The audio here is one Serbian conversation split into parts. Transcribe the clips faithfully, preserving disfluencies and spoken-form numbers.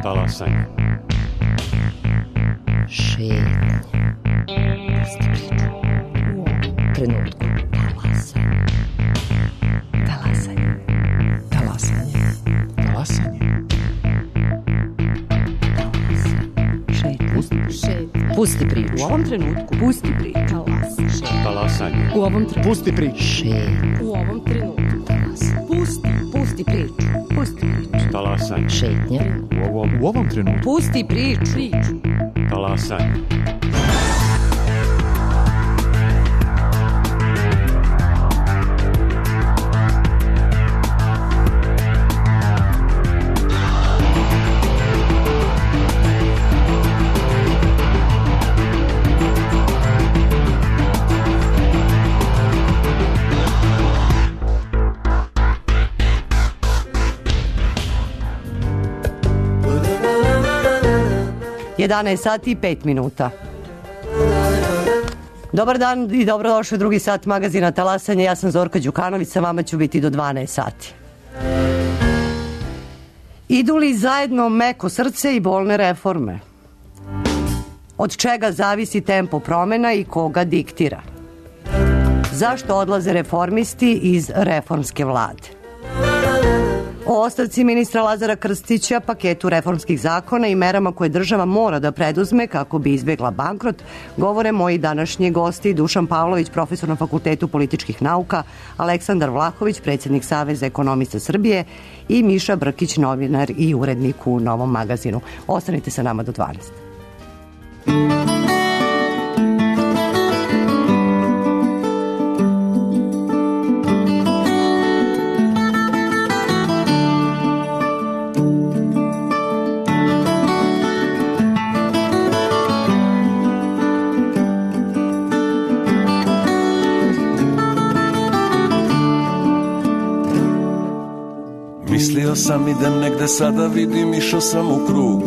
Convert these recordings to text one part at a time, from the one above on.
Talasanje. Šetnja. Pusti priču. U ovom trenutku. Talasanje. Talasanje. Talasanje. Talasanje. Šetnja. Šetnja. Pusti priču. U ovom trenutku. Pusti priču. Talasanje. U ovom trenutku. Pusti priču. Šetnja. U ovom trenutku. Pusti. Pusti priču. Pusti priču. Talasanje. Šetnja. U ovom, U ovom trenutku. Pusti priču. Priču. talasanje. jedanaest sati i pet minuta. Dobar dan i dobrodošli u drugi sat magazina Talasanje. Ja sam Zorka Đukanović, sa vama ću biti do dvanaest sati. Idu li zajedno meko srce i bolne reforme? Od čega zavisi tempo promena i koga diktira? Zašto odlaze reformisti iz reformske vlade? O ostavci ministra Lazara Krstića, paketu reformskih zakona i merama koje država mora da preduzme kako bi izbjegla bankrot, govore moji današnji gosti Dušan Pavlović, profesor na Fakultetu političkih nauka, Aleksandar Vlahović, predsjednik Saveza ekonomista Srbije i Miša Brkić, novinar i urednik u Novom magazinu. Ostanite sa nama do dvanaest. Mislio sam idem negde, sada vidim išao sam u krug.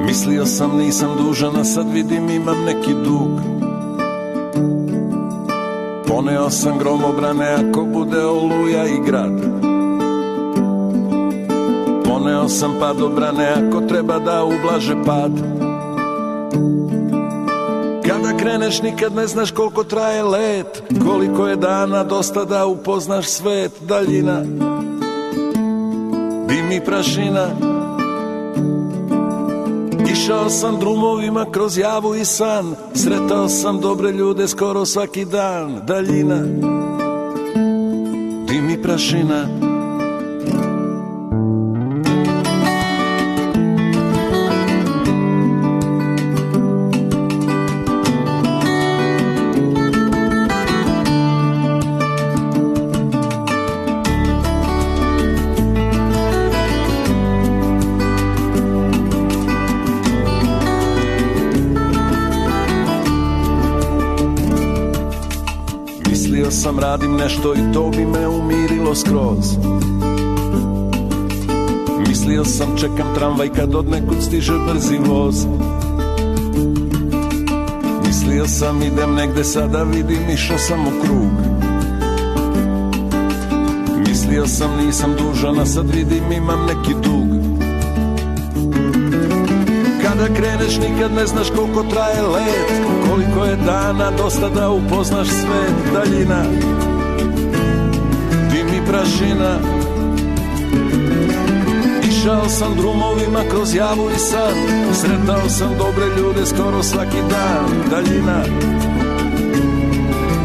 Mislio sam nisam dužan, a sad vidim imam neki dug. Poneo sam gromobrane ako bude oluja i grad. Poneo sam padobrane ako treba da ublaže pad. Kada kreneš nikad ne znaš koliko traje let, koliko je dana dosta da upoznaš svet. Daljina, dim i prašina. Išao sam drumovima kroz javu i san, sretao sam dobre ljude skoro svaki dan. Daljina, dim i prašina. Sam radim nešto i to bi me umirilo skroz. Mislio sam čekam tramvaj kad od nekud stiže brzi voz. Mislio sam idem negde, sada vidim išao sam u krug. Mislio sam nisam dužan, a sad vidim imam neki dug. Kada kreneš nikad ne znaš koliko traje let, koliko je dana dosta da upoznaš svet. Daljina, dim i prašina. Išao sam drumovima kroz javu i san, sretao sam dobre ljude skoro svaki dan. Daljina,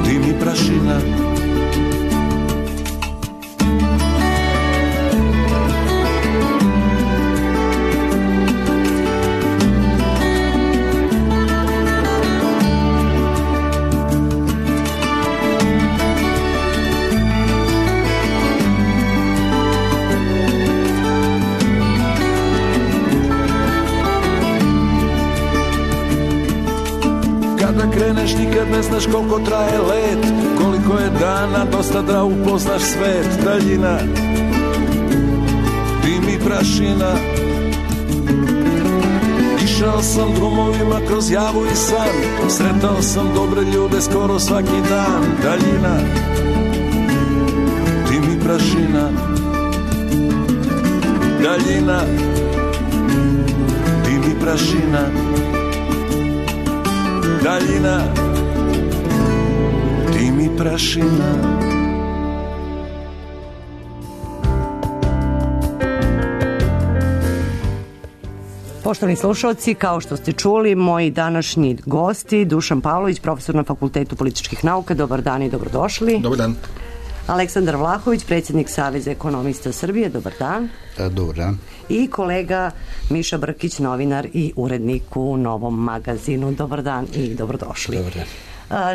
dim i prašina. Kreneš nikad ne znaš koliko traje let, koliko je dana dosta da upoznaš svet. Daljina, dim i prašina. Išao sam drumovima kroz javu i san, sretao sam dobre ljude skoro svaki dan. Daljina, dim i prašina. daljina, dim i prašina, daljina, dim i prašina. Poštovani slušalci, kao što ste čuli, moji današnji gosti, Dušan Pavlović, profesor na Fakultetu političkih nauka, dobar dan i dobrodošli. Dobar dan. Aleksandar Vlahović, predsjednik Saveza ekonomista Srbije, dobar dan. Da, dobar dan. I kolega Miša Brkić, novinar i urednik u Novom magazinu, dobar dan i dobrodošli. Dobar dan.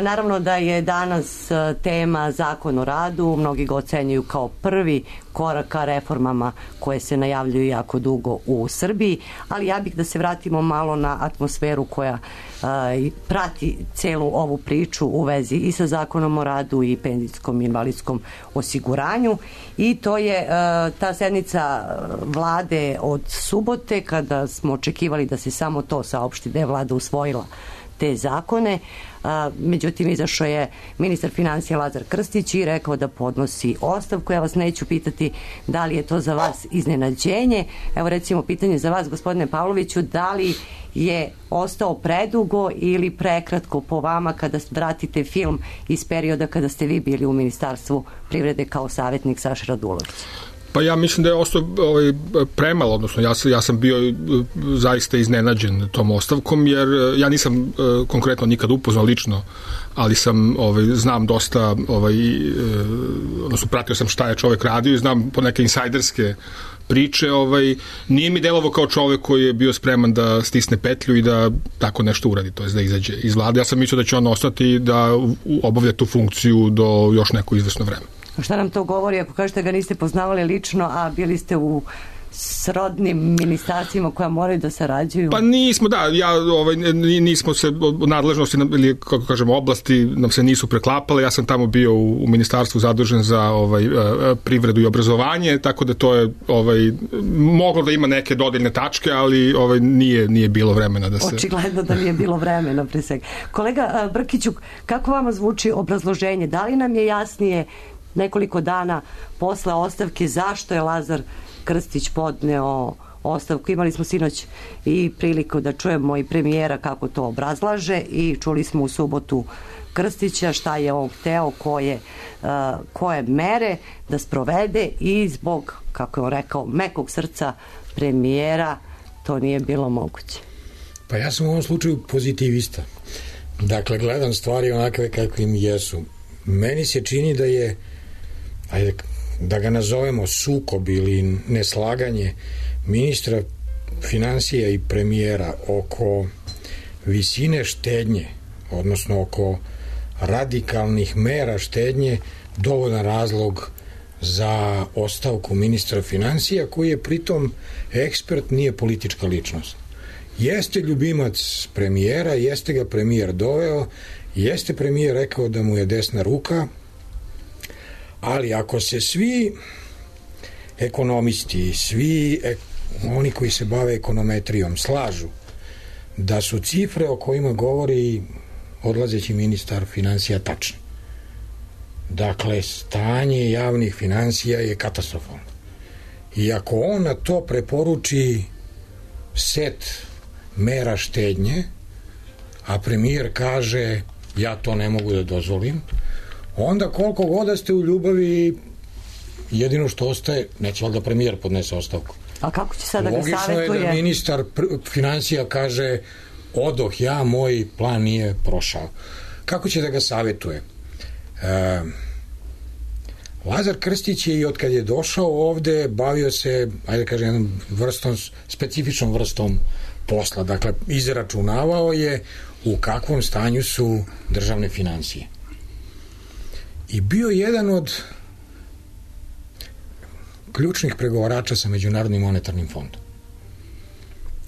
Naravno da je danas tema Zakon o radu, mnogi ga ocenjuju kao prvi korak ka reformama koje se najavljuju jako dugo u Srbiji, ali ja bih da se vratimo malo na atmosferu koja uh, prati celu ovu priču u vezi i sa Zakonom o radu i penzijskom i invalidskom osiguranju, i to je uh, ta sednica vlade od subote, kada smo očekivali da se samo to saopšti da je vlada usvojila te zakone. A, međutim, izašao je ministar financija Lazar Krstić i rekao da podnosi ostavku. Ja vas neću pitati da li je to za vas iznenađenje. Evo recimo pitanje za vas, gospodine Pavloviću, da li je ostao predugo ili prekratko po vama kada vratite film iz perioda kada ste vi bili u Ministarstvu privrede kao savjetnik Saše Radulovića? Pa ja mislim da je ostao ovaj, premalo, odnosno ja, ja sam bio zaista iznenađen tom ostavkom, jer ja nisam uh, konkretno nikad upoznao lično, ali sam, ovaj, znam dosta, ovaj, uh, odnosno pratio sam šta je čovjek radio i znam po neke insajderske priče. Ovaj, nije mi delovo kao čovjek koji je bio spreman da stisne petlju i da tako nešto uradi, to je da izađe iz vlade. Ja sam mislio da će on ostati i da obavlja tu funkciju do još neko izvesno vreme. Šta nam to govori ako kažete ga niste poznavali lično, a bili ste u srodnim ministarstvima koja moraju da sarađuju? Pa nismo, da, ja, ovaj, nismo se, nadležnosti ili, kako kažemo, oblasti nam se nisu preklapale. Ja sam tamo bio u, u ministarstvu zadužen za ovaj, privredu i obrazovanje, tako da to je ovaj, moglo da ima neke dodeljne tačke, ali ovaj, nije, nije bilo vremena da se... Očigledno da nije bilo vremena pre svega. Kolega Brkiću, kako vama zvuči obrazloženje? Da li nam je jasnije nekoliko dana posle ostavke zašto je Lazar Krstić podneo ostavku? Imali smo sinoć i priliku da čujemo i premijera kako to obrazlaže i čuli smo u subotu Krstića šta je on hteo, koje, uh, koje mere da sprovede, i zbog, kako je on rekao, mekog srca premijera to nije bilo moguće. Pa ja sam u ovom slučaju pozitivista. Dakle, gledam stvari onakve kakve im jesu. Meni se čini da je, ajde da ga nazovemo sukob ili neslaganje ministra financija i premijera oko visine štednje, odnosno oko radikalnih mera štednje, dovoljan razlog za ostavku ministra financija, koji je pritom ekspert, nije politička ličnost. Jeste ljubimac premijera, jeste ga premijer doveo, jeste premijer rekao da mu je desna ruka, ali ako se svi ekonomisti, svi ek, oni koji se bave ekonometrijom slažu da su cifre o kojima govori odlazeći ministar financija tačne. Dakle, stanje javnih financija je katastrofalno. I ako on na to preporuči set mera štednje, a premijer kaže ja to ne mogu da dozvolim, onda koliko god da ste u ljubavi, jedino što ostaje, neće valjda premijer podnese ostavku. A kako će sad da ga Logično savjetuje? Logično je da ministar financija kaže odoh ja, moj plan nije prošao. Kako će da ga savjetuje? E, Lazar Krstić je i od kad je došao ovde bavio se, ajde kažem, jednom vrstom, specifičnom vrstom posla. Dakle, izračunavao je u kakvom stanju su državne financije. I bio jedan od ključnih pregovarača sa Međunarodnim monetarnim fondom.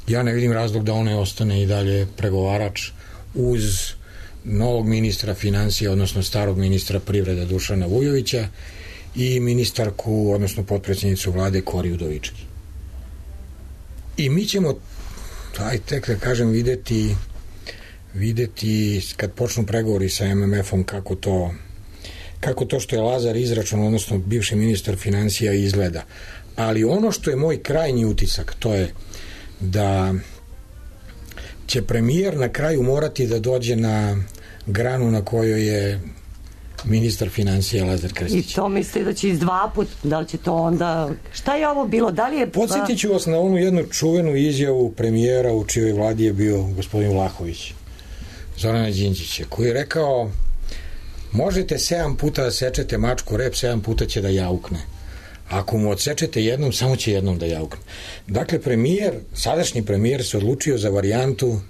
Ja ne vidim razlog da on ne ostane i dalje pregovarač uz novog ministra financija, odnosno starog ministra privrede Dušana Vujovića i ministarku, odnosno potpredsjednicu vlade Kori Udovički. I mi ćemo, aj tek da kažem, videti videti kad počnu pregovori sa M M F-om kako to kako to što je Lazar izračun, odnosno bivši ministar financija, izgleda. ali ono što je moj krajnji utisak, to je da će premijer na kraju morati da dođe na granu na kojoj je ministar financija Lazar Krstić. I to misli da će iz dva put, da li će to onda... Šta je ovo bilo? Da li je... Podsjetit ću vas na onu jednu čuvenu izjavu premijera u čijoj vladi je bio gospodin Vlahović, Zorana Đinđića, koji je rekao: možete sedam puta da sečete mačku rep, sedam puta će da jaukne. Ako mu odsečete jednom, samo će jednom da jaukne. Dakle, premijer, sadašnji premijer se odlučio za varijantu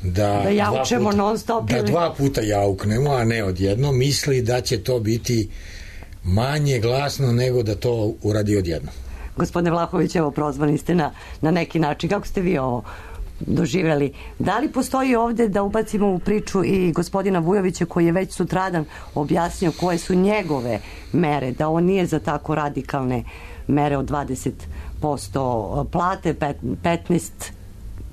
da, da jaučemo dva puta, non stop da ili... dva puta jauknemo, a ne odjedno. Misli da će to biti manje glasno nego da to uradi odjedno. Gospodine Vlahović, evo, prozvani ste na, na neki način. Kako ste vi ovo doživjeli? Da li postoji ovde da ubacimo u priču i gospodina Vujovića, koji je već sutradan objasnio koje su njegove mere, da on nije za tako radikalne mere od dvadeset posto plate, petnaest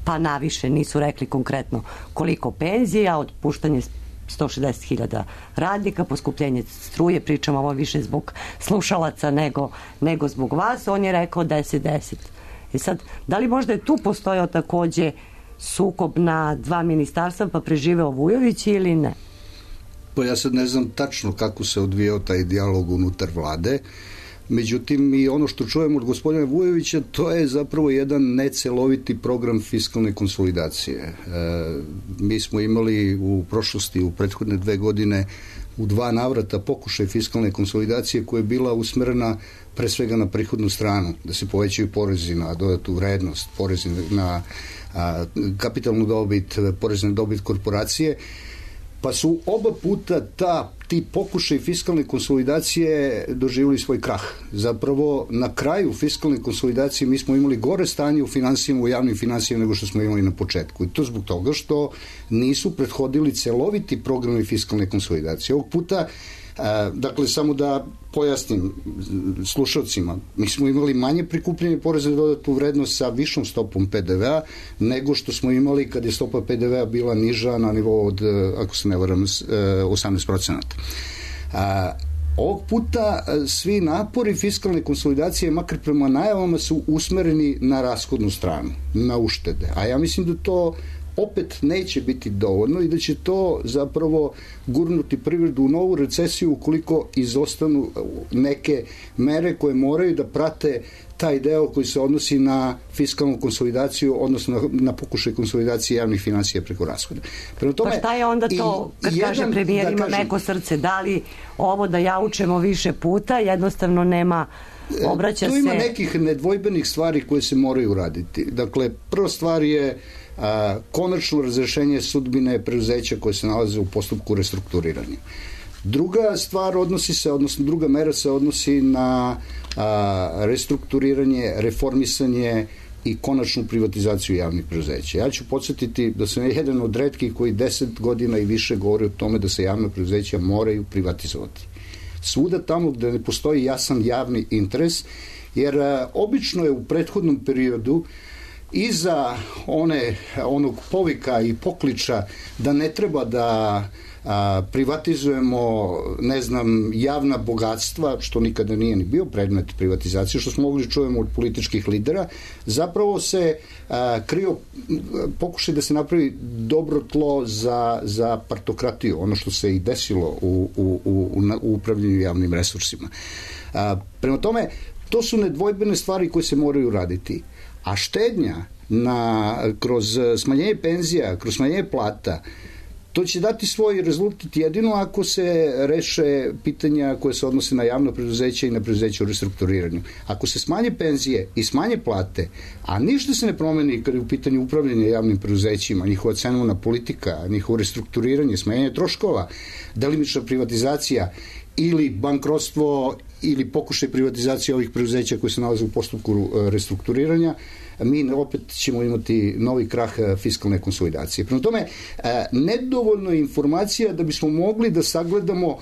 pa naviše, nisu rekli konkretno koliko penzija, otpuštanje sto šezdeset hiljada radnika, poskupljenje struje, pričam ovo više zbog slušalaca nego, nego zbog vas, on je rekao deset deset. I sad, da li možda je tu postojao takođe sukob na dva ministarstva pa preživeo Vujović ili ne? Pa ja sad ne znam tačno kako se odvijao taj dijalog unutar vlade, međutim i ono što čujemo od gospodina Vujovića, to je zapravo jedan neceloviti program fiskalne konsolidacije. E, mi smo imali u prošlosti, u prethodne dve godine, u dva navrata pokušaj fiskalne konsolidacije koja je bila usmerena pre svega na prihodnu stranu, da se povećaju porezi na dodatu vrednost, porezi na a, kapitalnu dobit, porezi na dobit korporacije, pa su oba puta ta, ti pokušaj fiskalne konsolidacije doživjeli svoj krah. Zapravo, na kraju fiskalne konsolidacije mi smo imali gore stanje u finansijama, u javnim finansijama nego što smo imali na početku. I to zbog toga što nisu prethodili celoviti programi fiskalne konsolidacije. Ovog puta, a, dakle, samo da pojasnim slušalcima, mi smo imali manje prikupljanje poreza na dodatu vrednost sa višom stopom pe de ve a nego što smo imali kad je stopa pe de ve a bila niža na nivou od, ako se ne varam, osamnaest procenata. A, ovog puta svi napori fiskalne konsolidacije, makar prema najavama, su usmereni na rashodnu stranu, na uštede. A ja mislim da to opet neće biti dovoljno i da će to zapravo gurnuti privredu u novu recesiju ukoliko izostanu neke mere koje moraju da prate taj deo koji se odnosi na fiskalnu konsolidaciju, odnosno na, na pokušaj konsolidacije javnih finansija preko rashoda. Prema tome, pa šta je onda to, kad jedan, kaže premijer da ima kažem, meko srce, da li ovo da jaučemo više puta, jednostavno nema, obraća se... Tu ima nekih nedvojbenih stvari koje se moraju uraditi. Dakle, prva stvar je a, konačno razrešenje sudbine preduzeća koje se nalaze u postupku restrukturiranja. Druga stvar odnosi se, odnosno druga mera se odnosi na a, restrukturiranje, reformisanje i konačnu privatizaciju javnih preduzeća. Ja ću podsjetiti da sam jedan od retkih koji deset godina i više govori o tome da se javna preduzeća moraju privatizovati. Svuda tamo gde ne postoji jasan javni interes, jer a, obično je u prethodnom periodu iza one, onog povika i pokliča da ne treba da a, privatizujemo, ne znam, javna bogatstva, što nikada nije ni bio predmet privatizacije, što smo mogli čujemo od političkih lidera, zapravo se a, krio pokušaj da se napravi dobro tlo za, za partokratiju, ono što se i desilo u, u, u, u upravljanju javnim resursima. A, prema tome, to su nedvojbene stvari koje se moraju raditi. A štednja na, kroz smanjenje penzija, kroz smanjenje plata, to će dati svoj rezultat jedino ako se reše pitanja koje se odnose na javno preduzeće i na preduzeće u restrukturiranju. Ako se smanje penzije i smanje plate, a ništa se ne promeni kada je u pitanju upravljanja javnim preduzećima, njihova cenovna politika, njihovo restrukturiranje, smanjenje troškova, delimična privatizacija ili bankrotstvo ili pokušaj privatizacije ovih preduzeća koji se nalaze u postupku restrukturiranja, mi opet ćemo imati novi krah fiskalne konsolidacije. Prema tome, nedovoljno je informacija da bismo mogli da sagledamo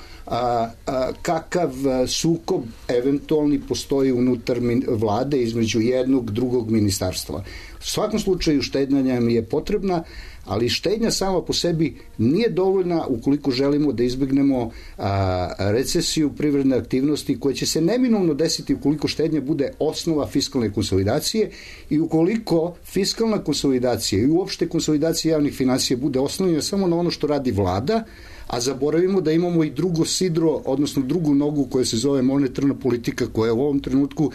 kakav sukob eventualni postoji unutar vlade između jednog, drugog ministarstva. U svakom slučaju štednja mi je potrebna, ali štednja sama po sebi nije dovoljna ukoliko želimo da izbegnemo a, recesiju privredne aktivnosti koja će se neminovno desiti ukoliko štednja bude osnova fiskalne konsolidacije i ukoliko fiskalna konsolidacija i uopšte konsolidacija javnih finansija bude osnovljena samo na ono što radi vlada, a zaboravimo da imamo i drugo sidro, odnosno drugu nogu koja se zove monetarna politika, koja je u ovom trenutku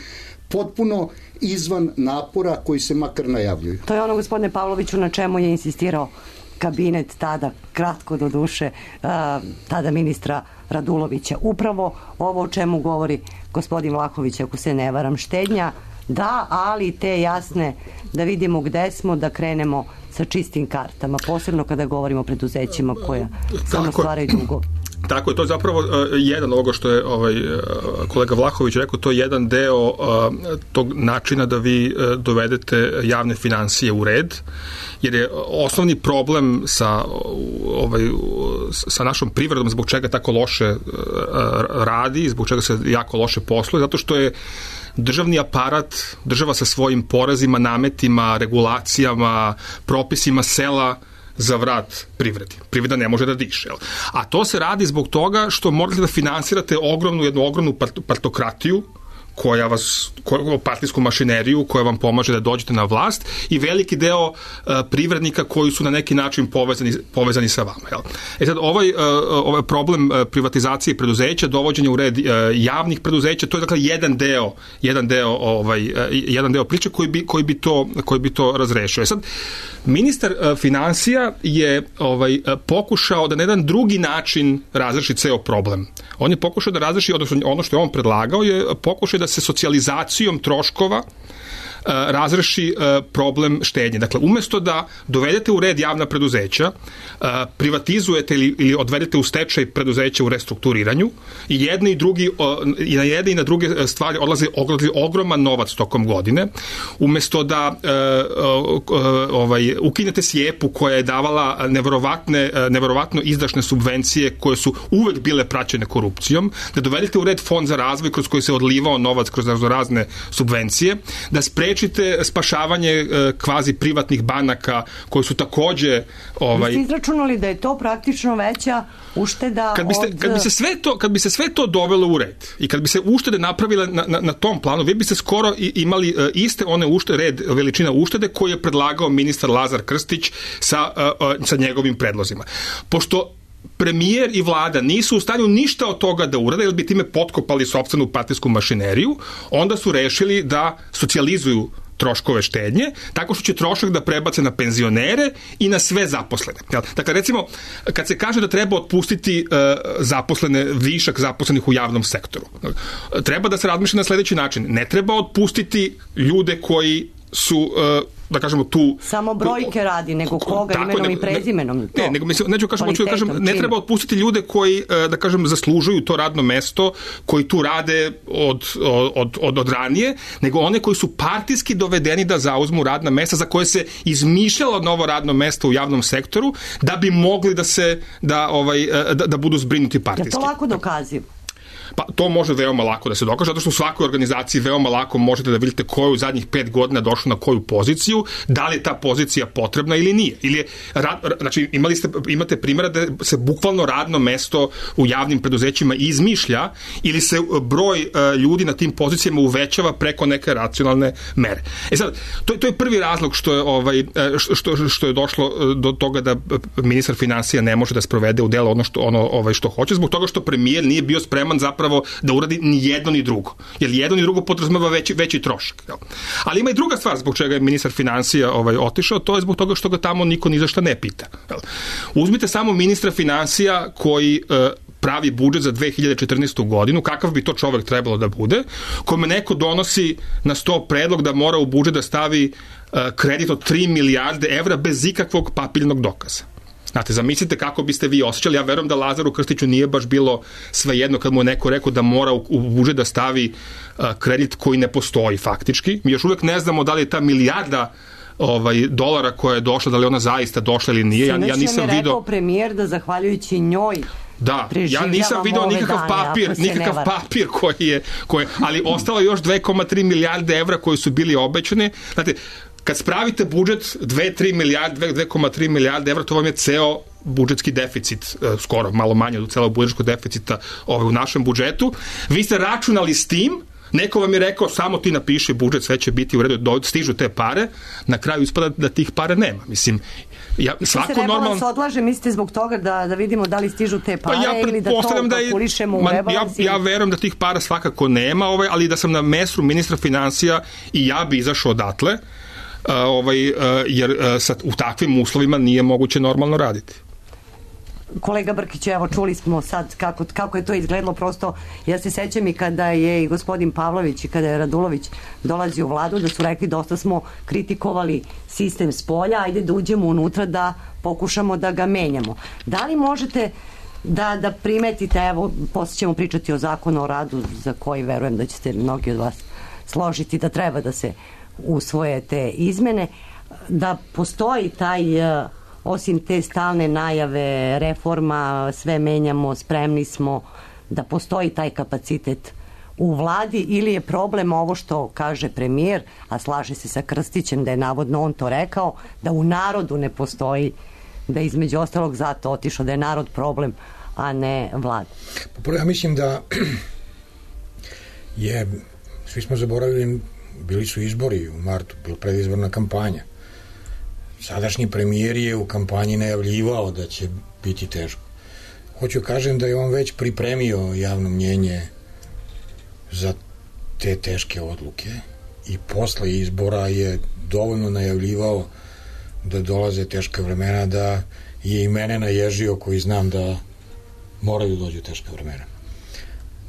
potpuno izvan napora koji se makar najavljuju. To je ono, gospodine Pavloviću, na čemu je insistirao kabinet tada, kratko do duše, tada ministra Radulovića. Upravo ovo o čemu govori gospodin Vlahović, ako se ne varam, štednja, da, ali te jasne, da vidimo gde smo, da krenemo sa čistim kartama, posebno kada govorimo o preduzećima koja samo stvaraju dugove. Tako je, to je zapravo uh, jedan ovoga što je ovaj, uh, kolega Vlahović rekao, to je jedan deo uh, tog načina da vi uh, dovedete javne finansije u red, jer je osnovni problem sa, ovaj, sa našom privredom, zbog čega tako loše uh, radi, zbog čega se jako loše posluje, zato što je državni aparat, država sa svojim porezima, nametima, regulacijama, propisima sela za vrat privredi. Privreda ne može da diše. Jel? A to se radi zbog toga što morate da finansirate ogromnu, jednu ogromnu partokratiju koja vas, koja, partijsku mašineriju koja vam pomaže da dođete na vlast i veliki deo uh, privrednika koji su na neki način povezani, povezani sa vama. Jel? E sad, ovaj, uh, ovaj problem uh, privatizacije preduzeća, dovođenja u red uh, javnih preduzeća, to je dakle jedan deo, jedan deo, ovaj, uh, jedan deo priče koji bi, koji bi, to, koji bi to razrešio. E sad, ministar uh, finansija je ovaj, uh, pokušao da na jedan drugi način razreši ceo problem. On je pokušao da razreši, odnosno ono što je on predlagao je pokušao da se socijalizacijom troškova razreši problem štednje. Dakle, umesto da dovedete u red javna preduzeća, privatizujete ili, ili odvedete u stečaj preduzeća u restrukturiranju i jedni i drugi, i na jedne i na druge stvari odlazi, odlazi ogroman novac tokom godine, umesto da ovaj, ukinete Sjepu koja je davala neverovatne, neverovatno izdašne subvencije koje su uvek bile praćene korupcijom, da dovedete u red fond za razvoj kroz koji se odlivao novac kroz razne subvencije, da sprečite spašavanje kvazi privatnih banaka koji su takođe ovaj Vi ste izračunali da je to praktično veća ušteda kad biste, od... kad bi se sve to kad bi se sve to dovelo u red i kad bi se uštede napravile na, na, na tom planu, vi biste skoro imali iste one uštede, red veličina uštede koje je predlagao ministar Lazar Krstić sa, sa njegovim predlozima. Pošto premijer i vlada nisu u stanju ništa od toga da urade, jer bi time potkopali sopstvenu partijsku mašineriju, onda su rešili da socijalizuju troškove štednje, tako što će trošak da prebace na penzionere i na sve zaposlene. Dakle, recimo, kad se kaže da treba otpustiti uh, zaposlene, višak zaposlenih u javnom sektoru, treba da se razmišlja na sledeći način. Ne treba otpustiti ljude koji su, uh, da kažemo, tu... Samo brojke radi, nego koga, tako, imenom ne, i prezimenom. Ne, ne, nego mislim, neću kažem, hoću da kažem, ne treba otpustiti ljude koji, da kažem, zaslužuju to radno mesto, koji tu rade od, od, od, od ranije, nego one koji su partijski dovedeni da zauzmu radna mesta za koje se izmišljalo novo radno mesto u javnom sektoru, da bi mogli da se, da, ovaj, da, da budu zbrinuti partijski. Je to lako dokazivo? Pa to može veoma lako da se dokaže, zato što u svakoj organizaciji veoma lako možete da vidite ko je u zadnjih pet godina došao na koju poziciju, da li je ta pozicija potrebna ili nije. Ili je, znači, imali ste, imate primjera da se bukvalno radno mesto u javnim preduzećima izmišlja ili se broj ljudi na tim pozicijama uvećava preko neke racionalne mere. E sad, to, to je prvi razlog što je, ovaj, što, što je došlo do toga da ministar finansija ne može da sprovede u delo ono što, ono, ovaj, što hoće, zbog toga što premijer nije bio spreman zapravo da uradi ni jedno ni drugo. Jer jedno ni drugo podrazumeva veći, veći trošak. Jel? Ali ima i druga stvar zbog čega je ministar finansija ovaj, otišao, to je zbog toga što ga tamo niko ni za šta ne pita. Jel? Uzmite samo ministra finansija koji e, pravi budžet za dve hiljade četrnaestu godinu, kakav bi to čovek trebalo da bude, kome neko donosi na sto predlog da mora u budžet da stavi e, kredit od tri milijarde evra bez ikakvog papirnog dokaza. Znate, zamislite kako biste vi osjećali. Ja verujem da Lazaru Krstiću nije baš bilo svejedno kad mu je neko rekao da mora u, u budžet da stavi uh, kredit koji ne postoji faktički. Mi još uvek ne znamo da li je ta milijarda ovaj, dolara koja je došla, da li ona zaista došla ili nije. Ja, ja nisam video... rekao premijer da zahvaljujući njoj Da, ja nisam video nikakav dane, papir, nikakav papir koji je, koji, ali ostalo još dve zarez tri milijarde evra koji su bili obećane. Znate, kad spravite budžet dve zarez tri milijarde, dve zarez tri milijarde evra, to vam je ceo budžetski deficit, skoro malo manje od celog budžetskog deficita ovaj, u našem budžetu. Vi ste računali s tim, neko vam je rekao samo ti napiši budžet, sve će biti u redu, stižu te pare, na kraju ispada da tih para nema. Mislim, ja, svako normalno... Rebalans se odlaže, mislite zbog toga da, da vidimo da li stižu te pare pa ja ili da to da kalkulišemo u rebalansu? Ja, ja verujem da tih para svakako nema, ovaj, ali da sam na mestu ministra financija i ja bi izašao odatle, uh, ovaj, uh, jer uh, sad, u takvim uslovima nije moguće normalno raditi. Kolega Brkić, evo čuli smo sad kako, kako je to izgledalo, prosto ja se sećam i kada je i gospodin Pavlović i kada je Radulović dolazio u vladu da su rekli dosta smo kritikovali sistem s polja, ajde da uđemo unutra da pokušamo da ga menjamo. Da li možete da, da primetite, evo posle ćemo pričati o zakonu o radu za koji verujem da ćete mnogi od vas složiti da treba da se usvoje te izmene, da postoji taj osim te stalne najave reforma, sve menjamo, spremni smo, da postoji taj kapacitet u vladi ili je problem ovo što kaže premijer, a slaže se sa Krstićem da je navodno on to rekao, da u narodu ne postoji, da je između ostalog zato otišao, da je narod problem, a ne vlada. Prvo ja mislim da je, svi smo zaboravili, bili su izbori u martu, bila predizborna kampanja. Sadašnji premijer je u kampanji najavljivao da će biti teško. Hoću kažem da je on već pripremio javno mnjenje za te teške odluke i posle izbora je dovoljno najavljivao da dolaze teška vremena, da je i mene naježio koji znam da moraju dođu teška vremena.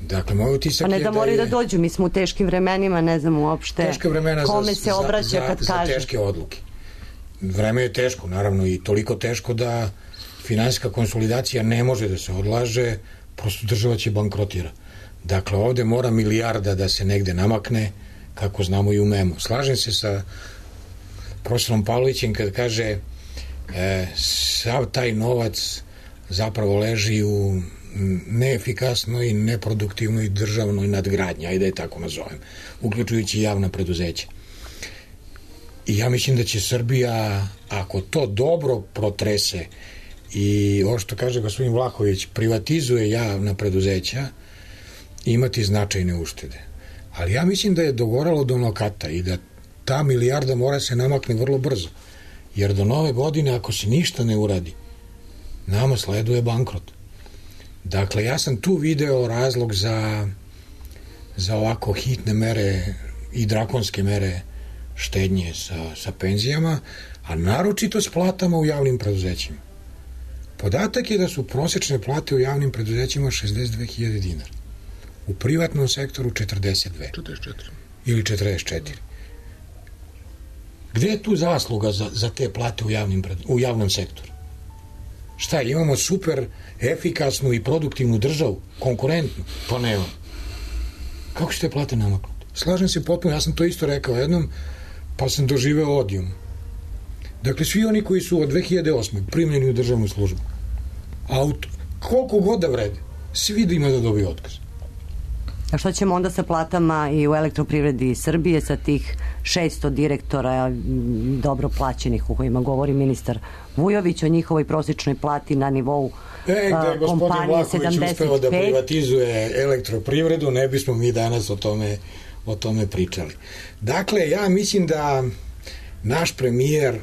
Dakle, moj utisak pa ne je da moraju da, je, da dođu, mi smo u teškim vremenima, ne znam uopšte kome za, se obraća za, kad za, kaže. Za teške odluke. Vreme je teško, naravno, i toliko teško da finansijska konsolidacija ne može da se odlaže, prosto država će bankrotira. Dakle, ovde mora milijarda da se negde namakne, kako znamo i umemo. Slažem se sa profesorom Pavlovićem kad kaže e, sav taj novac zapravo leži u neefikasnoj i neproduktivnoj državnoj nadgradnji, ajde da je tako nazovem, uključujući javna preduzeća. I ja mislim da će Srbija, ako to dobro protrese i ovo što kaže gospodin Vlahović, privatizuje javna preduzeća, imati značajne uštede. Ali ja mislim da je dogoralo do nokata i da ta milijarda mora se namakne vrlo brzo. Jer do nove godine, ako se ništa ne uradi, nama sleduje bankrot. Dakle, ja sam tu video razlog za, za ovako hitne mere i drakonske mere štednje sa, sa penzijama, a naročito s platama u javnim preduzećima. Podatak je da su prosečne plate u javnim preduzećima šezdeset dve hiljade dinara. U privatnom sektoru četrdeset dve. četrdeset četiri. Ili četrdeset četiri. Gde je tu zasluga za, za te plate u, javnim, u javnom sektoru? Šta, imamo super efikasnu i produktivnu državu, konkurentnu? Pa nema. Kako će te plate namaknuti? Slažem se potpuno, ja sam to isto rekao jednom, pa sam doživeo odijum. Dakle, svi oni koji su od dve hiljade osme primljeni u državnu službu, a u koliko god da vrede, svi da ima da dobiju otkaz. A što ćemo onda sa platama i u Elektroprivredi Srbije, sa tih šesto direktora dobro plaćenih o kojima govori ministar Vujović, o njihovoj prosječnoj plati na nivou e, da je gospodin Vlahović uspeo da privatizuje Elektroprivredu, ne bismo mi danas o tome, o tome pričali. Dakle, ja mislim da naš premijer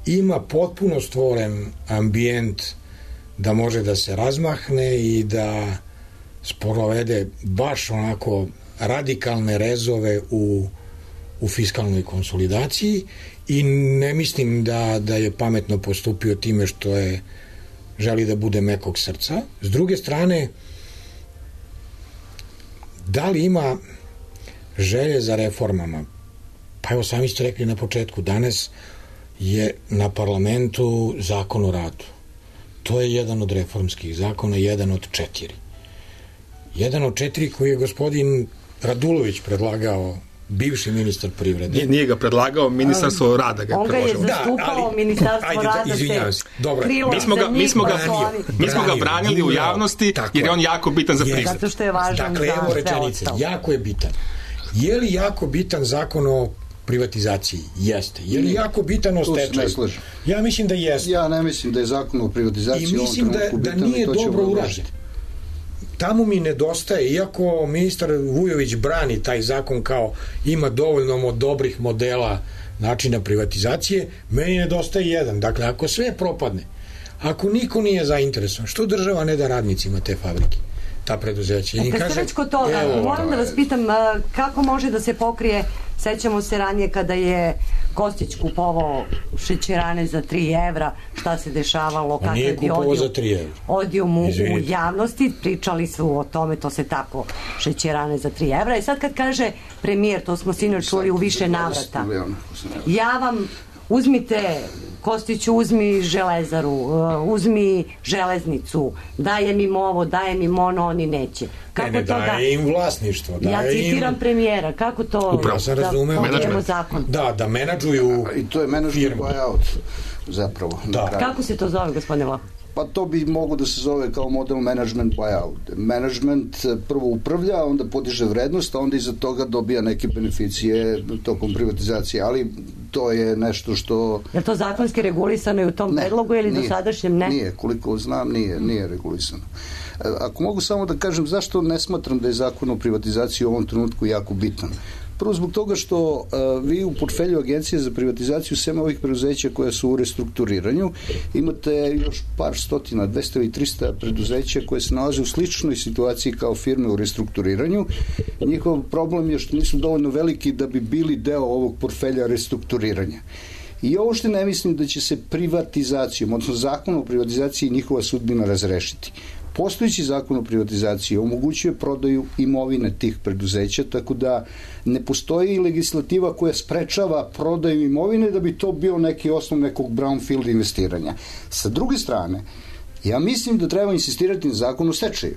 ima potpuno stvoren ambijent da može da se razmahne i da sprovede baš onako radikalne rezove u, u fiskalnoj konsolidaciji i ne mislim da, da je pametno postupio time što je želi da bude mekog srca. S druge strane, da li ima želje za reformama? Pa evo, sami ste rekli na početku, danas je na parlamentu zakon o radu. To je jedan od reformskih zakona, jedan od četiri. Jedan od četiri koji je gospodin Radulović predlagao, bivši ministar privrede. Nije, nije ga predlagao, ministarstvo rada ga je predložilo. On ga je zastupao, da, ali, ministarstvo ajde, rada izvinjavam se. Dobro. Mi smo ga, mi smo ga, branio, mi smo ga branili u javnosti jer je on jako bitan za pristup. Zato što je važan dakle, za evo rečenice, jako je bitan. Je li jako bitan zakon o privatizaciji? Jeste. Je li jako bitan o stečaju? Ja mislim da jeste. Ja ne mislim da je zakon o privatizaciji i mislim da, da nije dobro urađen. Tamo mi nedostaje, iako ministar Vujović brani taj zakon kao ima dovoljno dobrih modela načina privatizacije, meni nedostaje jedan. Dakle, ako sve propadne, ako niko nije zainteresovan, što država ne da radnicima te fabrike, ta preduzeća? E, kad ste već kod toga, evo, moram da vas pitam kako može da se pokrije, sećamo se ranije kada je Kostić kupovao šećerane za tri evra, šta se dešavalo, kakav je bio odijum u, u javnosti, pričali su o tome, to se tako, šećerane za tri evra. I sad kad kaže premijer, to smo sinoć čuli u više navrata, ja vam uzmite, Kostiću, uzmi železaru, uzmi železnicu, dajem im ovo, dajem im ono, oni neće. Kako ne, ne, to daje da, im vlasništvo. Daje ja citiram im premijera, kako to upravo sam razumeo, da zakon? Da, da menadžuju i to je menadžment buyout zapravo. Da. Kako se to zove, gospodine Vlah? Pa to bi mogo da se zove kao model management buyout. Management prvo upravlja, onda podiže vrednost, a onda iza toga dobija neke beneficije tokom privatizacije, ali to je nešto što... Je to zakonski regulisano i u tom ne, predlogu ili do sadašnjem ne? Nije, koliko znam, nije, nije regulisano. Ako mogu samo da kažem zašto ne smatram da je zakon o privatizaciji u ovom trenutku jako bitan. Prvo zbog toga što uh, vi u portfelju Agencije za privatizaciju sem ovih preduzeća koja su u restrukturiranju imate još par stotina, dvesta i trista preduzeća koje se nalaze u sličnoj situaciji kao firme u restrukturiranju. Njihov problem je što nisu dovoljno veliki da bi bili deo ovog portfelja restrukturiranja. I ovo što ne mislim da će se privatizacijom, odnosno zakon o privatizaciji njihova sudbina razrešiti. Postojeći zakon o privatizaciji omogućuje prodaju imovine tih preduzeća, tako da ne postoji legislativa koja sprečava prodaju imovine da bi to bio neki osnov nekog brownfield investiranja. Sa druge strane, ja mislim da treba insistirati na zakon o stečaju.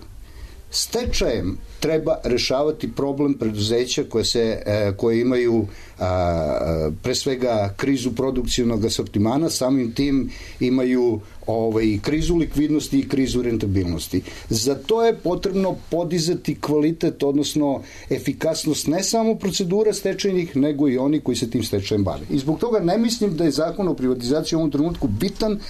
Stečajem treba rešavati problem preduzeća koje, se, e, koje imaju a, pre svega krizu produkcijnog asortimana, samim tim imaju ovaj, krizu likvidnosti i krizu rentabilnosti. Za to je potrebno podizati kvalitet, odnosno efikasnost ne samo procedura stečajnih, nego i oni koji se tim stečajem bave. I zbog toga ne mislim da je zakon o privatizaciji u ovom trenutku bitan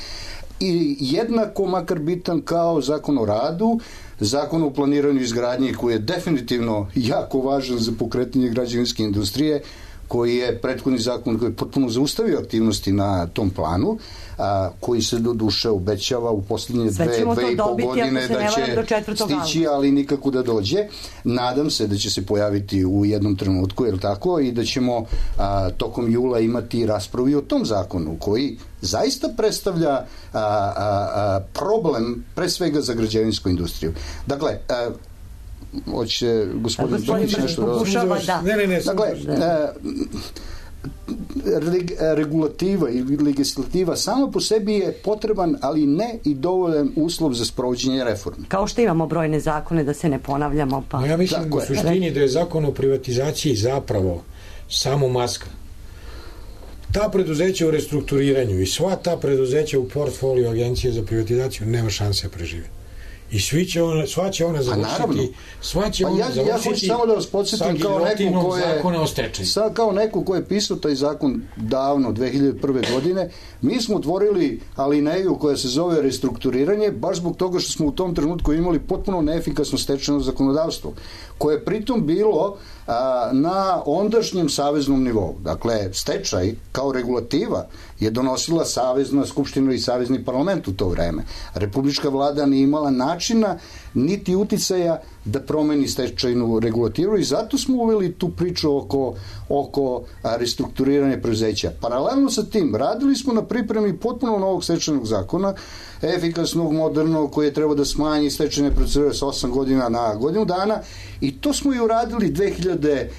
i jednako makar bitan kao zakon o radu, zakon o planiranju izgradnje koji je definitivno jako važan za pokretanje građevinske industrije, koji je prethodni zakon koji je potpuno zaustavio aktivnosti na tom planu, a, koji se do duše obećava u posljednje dve, dve i pol godine da će stići, ali nikako da dođe. Nadam se da će se pojaviti u jednom trenutku, je li tako, i da ćemo a, tokom jula imati raspravu o tom zakonu, koji zaista predstavlja a, a, a, problem pre svega za građevinsku industriju. Dakle, a, hoće gospodin Brnić nešto da... Ne, ne, ne. Dakle, regulativa ili legislativa sama po sebi je potreban, ali ne i dovoljan uslov za sprovođenje reforme. Kao što imamo brojne zakone, da se ne ponavljamo. Pa... No, ja mislim tako u suštini da je zakon o privatizaciji zapravo samo maska. Ta preduzeća u restrukturiranju i sva ta preduzeća u portfoliju Agencije za privatizaciju nema šanse da prežive. I svi će ona, sva će ona završiti, sva će ona ja, završiti ja hoću samo da vas podsjetim kao neko ko je, zakona o stečaju. Sad kao neko ko je pisao taj zakon davno, dve hiljade prve godine, mi smo otvorili alineju koja se zove restrukturiranje, baš zbog toga što smo u tom trenutku imali potpuno neefikasno stečajno zakonodavstvo, koje je pritom bilo a, na ondašnjem saveznom nivou. Dakle, stečaj kao regulativa je donosila Savezna skupština i Savezni parlament u to vreme. Republička vlada nije imala načina niti uticaja da promeni stečajnu regulativu i zato smo uveli tu priču oko, oko restrukturiranja preduzeća. Paralelno sa tim, radili smo na pripremi potpuno novog stečajnog zakona, efikasnog, modernog, koji je trebao da smanji stečajne procedure sa osam godina na godinu dana, i to smo i uradili dve hiljade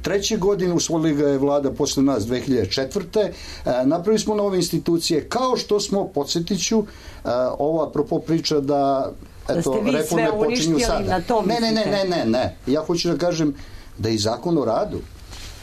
treće. godine, usvojili ga je vlada posle nas dve hiljade četvrte. Napravili smo nove institucije, kao što smo, podsjetiću, ova apropo priča da eto, da reforme počinju sada. Ne, ne, ne, ne, ne, ne. Ja hoću da kažem da je zakon o radu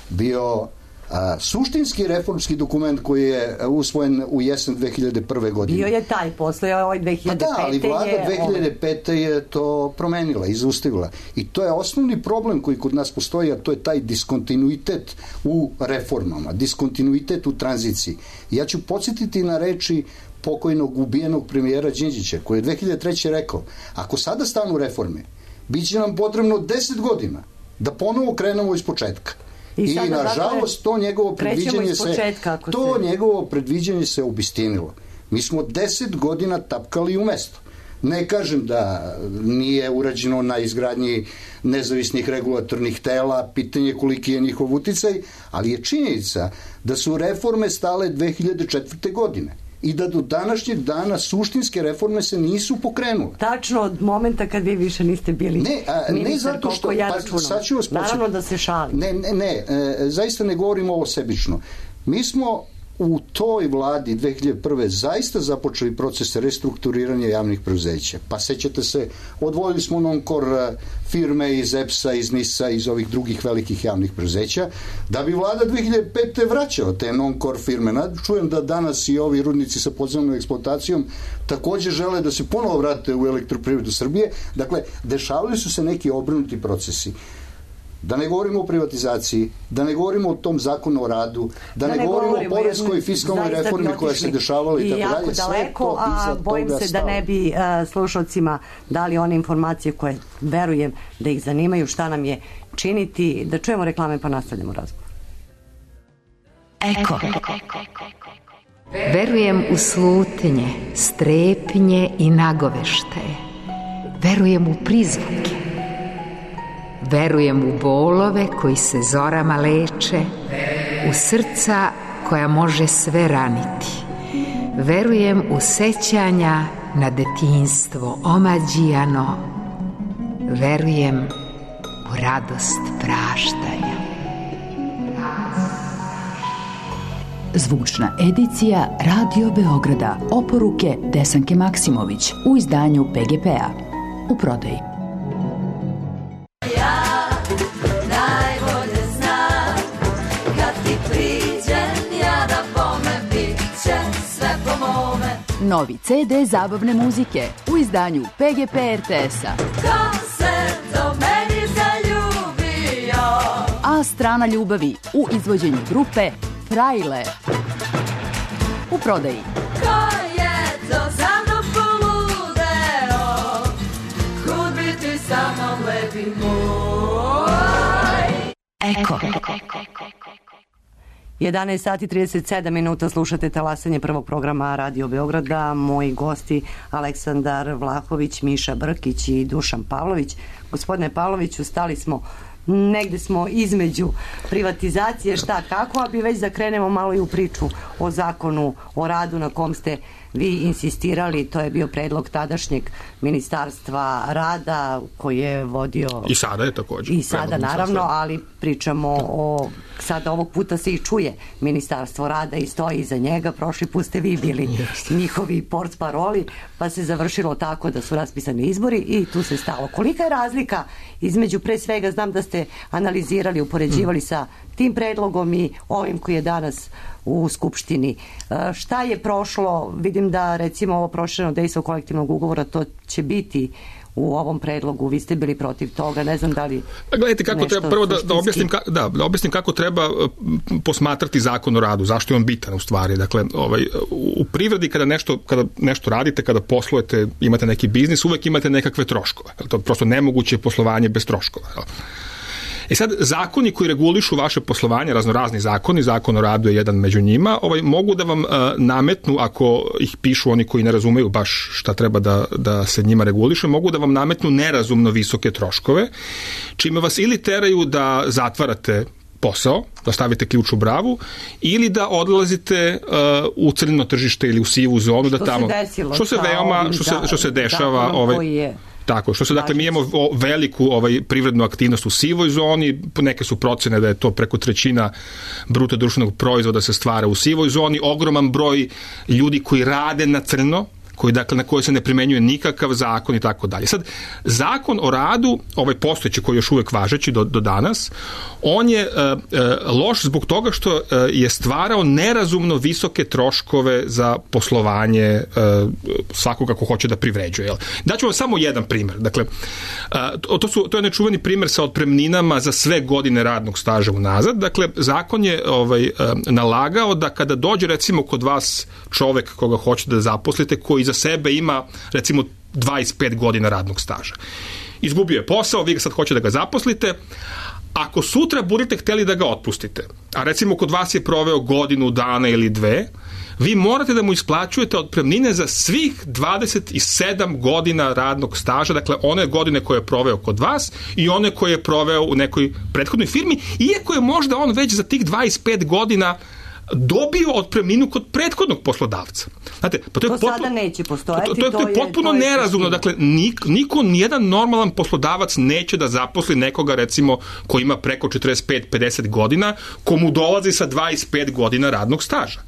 bio A, suštinski reformski dokument koji je usvojen u jesen dve hiljade prve. godine. Bio je taj, posle ovaj dve hiljade pete. Pa da, ali vlada je dve hiljade pete. je to promenila, izustavila. I to je osnovni problem koji kod nas postoji, a to je taj diskontinuitet u reformama, diskontinuitet u tranziciji. Ja ću podsjetiti na reči pokojnog ubijenog premijera Đinđića, koji je dve hiljade treće. rekao, ako sada stanu reforme, bit će nam potrebno deset godina da ponovo krenemo iz početka. I, I nažalost to njegovo predviđanje se to se... njegovo predviđanje se obistinilo. Mi smo deset godina tapkali u mesto. Ne kažem da nije urađeno na izgradnji nezavisnih regulatornih tela, pitanje koliki je njihov uticaj, ali je činjenica da su reforme stale dve hiljade četvrte. godine i da do današnjeg dana suštinske reforme se nisu pokrenule. Tačno od momenta kad vi više niste bili ne, a, ministar, ne zato što, ja pa, sad ću vas početi. Naravno da se šalim. Ne, ne, ne, e, zaista ne govorimo ovo sebično. Mi smo u toj vladi dve hiljade prve. zaista započeli proces restrukturiranja javnih preduzeća. Pa sećate se, odvojili smo non-kor firme iz E P S-a, iz N I S-a, iz ovih drugih velikih javnih preduzeća, da bi vlada dve hiljade pete. vraćala te non-kor firme. Čujem da danas i ovi rudnici sa podzemnom eksploatacijom takođe žele da se ponovo vrate u Elektroprivredu Srbije. Dakle, dešavali su se neki obrnuti procesi. Da ne govorimo o privatizaciji, da ne govorimo o tom zakonu o radu, da, da ne, ne govorimo, govorimo o poreskoj i fiskalnoj reformi koja se dešavala i tako dalje. I jako daleko, a bojim se da ne bi uh, slušalcima dali one informacije koje verujem da ih zanimaju, šta nam je činiti. Da čujemo reklame pa nastavljamo razgovor. Eko. Verujem u slutnje, strepnje i nagoveštaje. Verujem u prizvuke. Verujem u bolove koji se zorama leče, u srca koja može sve raniti. Verujem u sećanja na detinjstvo omađijano. Verujem u radost praštanja. Zvučna edicija Radio Beograda. Oporuke Desanke Maksimović u izdanju P G P-a. U prodaji. Novi C D zabavne muzike u izdanju P G P R T S-a. Ko se do meni zaljubio? A strana ljubavi u izvođenju grupe Frajle. U prodaji. Ko je to za mnom poludeo? Kud biti sa mnom lepi moj? Eko. jedanaest sati trideset sedam minuta, slušate talasanje prvog programa Radio Beograda. Moji gosti Aleksandar Vlahović, Miša Brkić i Dušan Pavlović. Gospodine Pavloviću, stali smo, negde smo između privatizacije, šta kako, a bi već da krenemo malo i u priču o zakonu o radu na kom ste vi insistirali. To je bio predlog tadašnjeg ministarstva rada koji je vodio... I sada je također. I sada naravno, ali pričamo o... Sada ovog puta se i čuje ministarstvo rada i stoji iza njega. Prošli put ste vi bili Jeste. njihovi portparoli, pa se završilo tako da su raspisani izbori i tu se stalo. Kolika je razlika između, pre svega znam da ste analizirali, upoređivali hmm. sa tim predlogom i ovim koji je danas u Skupštini. Šta je prošlo? Vidim da recimo ovo prošireno dejstvo kolektivnog ugovora, to će biti u ovom predlogu. Vi ste bili protiv toga, ne znam da li... Gledajte kako treba, prvo da, da, objasnim, ka, da, da objasnim kako treba posmatrati zakon o radu, zašto je on bitan u stvari. Dakle, ovaj, u privredi kada nešto, kada nešto radite, kada poslujete, imate neki biznis, uvek imate nekakve troškove. To je prosto nemoguće poslovanje bez troškova. E sad, zakoni koji regulišu vaše poslovanje, raznorazni zakoni, zakon o radu je jedan među njima, ovaj, mogu da vam uh, nametnu, ako ih pišu oni koji ne razumeju baš šta treba da, da se njima reguliše, mogu da vam nametnu nerazumno visoke troškove, čime vas ili teraju da zatvarate posao, da stavite ključ u bravu, ili da odlazite uh, u crno tržište ili u sivu zonu, što da tamo... Se desilo, što se veoma, što se, što se dešava... Ovaj, je... Tako, što se, dakle, mi imamo veliku ovaj, privrednu aktivnost u sivoj zoni, neke su procene da je to preko trećina bruto društvenog proizvoda se stvara u sivoj zoni, ogroman broj ljudi koji rade na crno, koji, dakle, na koje se ne primenjuje nikakav zakon i tako dalje. Sad, zakon o radu, ovaj postojeći koji je još uvek važeći do, do danas, on je uh, uh, loš zbog toga što uh, je stvarao nerazumno visoke troškove za poslovanje uh, svakoga ko hoće da privređuje. Jel? Daću vam samo jedan primer. Dakle, uh, to, su, to je nečuveni primer sa otpremninama za sve godine radnog staža unazad. Dakle, zakon je ovaj, uh, nalagao da kada dođe recimo kod vas čovek koga hoćete da zaposlite, koji za sebe ima recimo dvadeset pet godina radnog staža. Izgubio je posao, vi ga sad hoćete da ga zaposlite. Ako sutra budete hteli da ga otpustite, a recimo kod vas je proveo godinu dana ili dve, vi morate da mu isplaćujete otpremnine za svih dvadeset sedam godina radnog staža, dakle one godine koje je proveo kod vas i one koje je proveo u nekoj prethodnoj firmi, iako je možda on već za tih dvadeset pet godina dobio otpremninu kod prethodnog poslodavca. Znate, pa to, je to potpuno, sada neće postojati. To, to, to, to je potpuno to je nerazumno. Dakle, nik, niko, nijedan normalan poslodavac neće da zaposli nekoga, recimo, ko ima preko četrdeset pet pedeset godina, komu dolazi sa dvadeset pet godina radnog staža.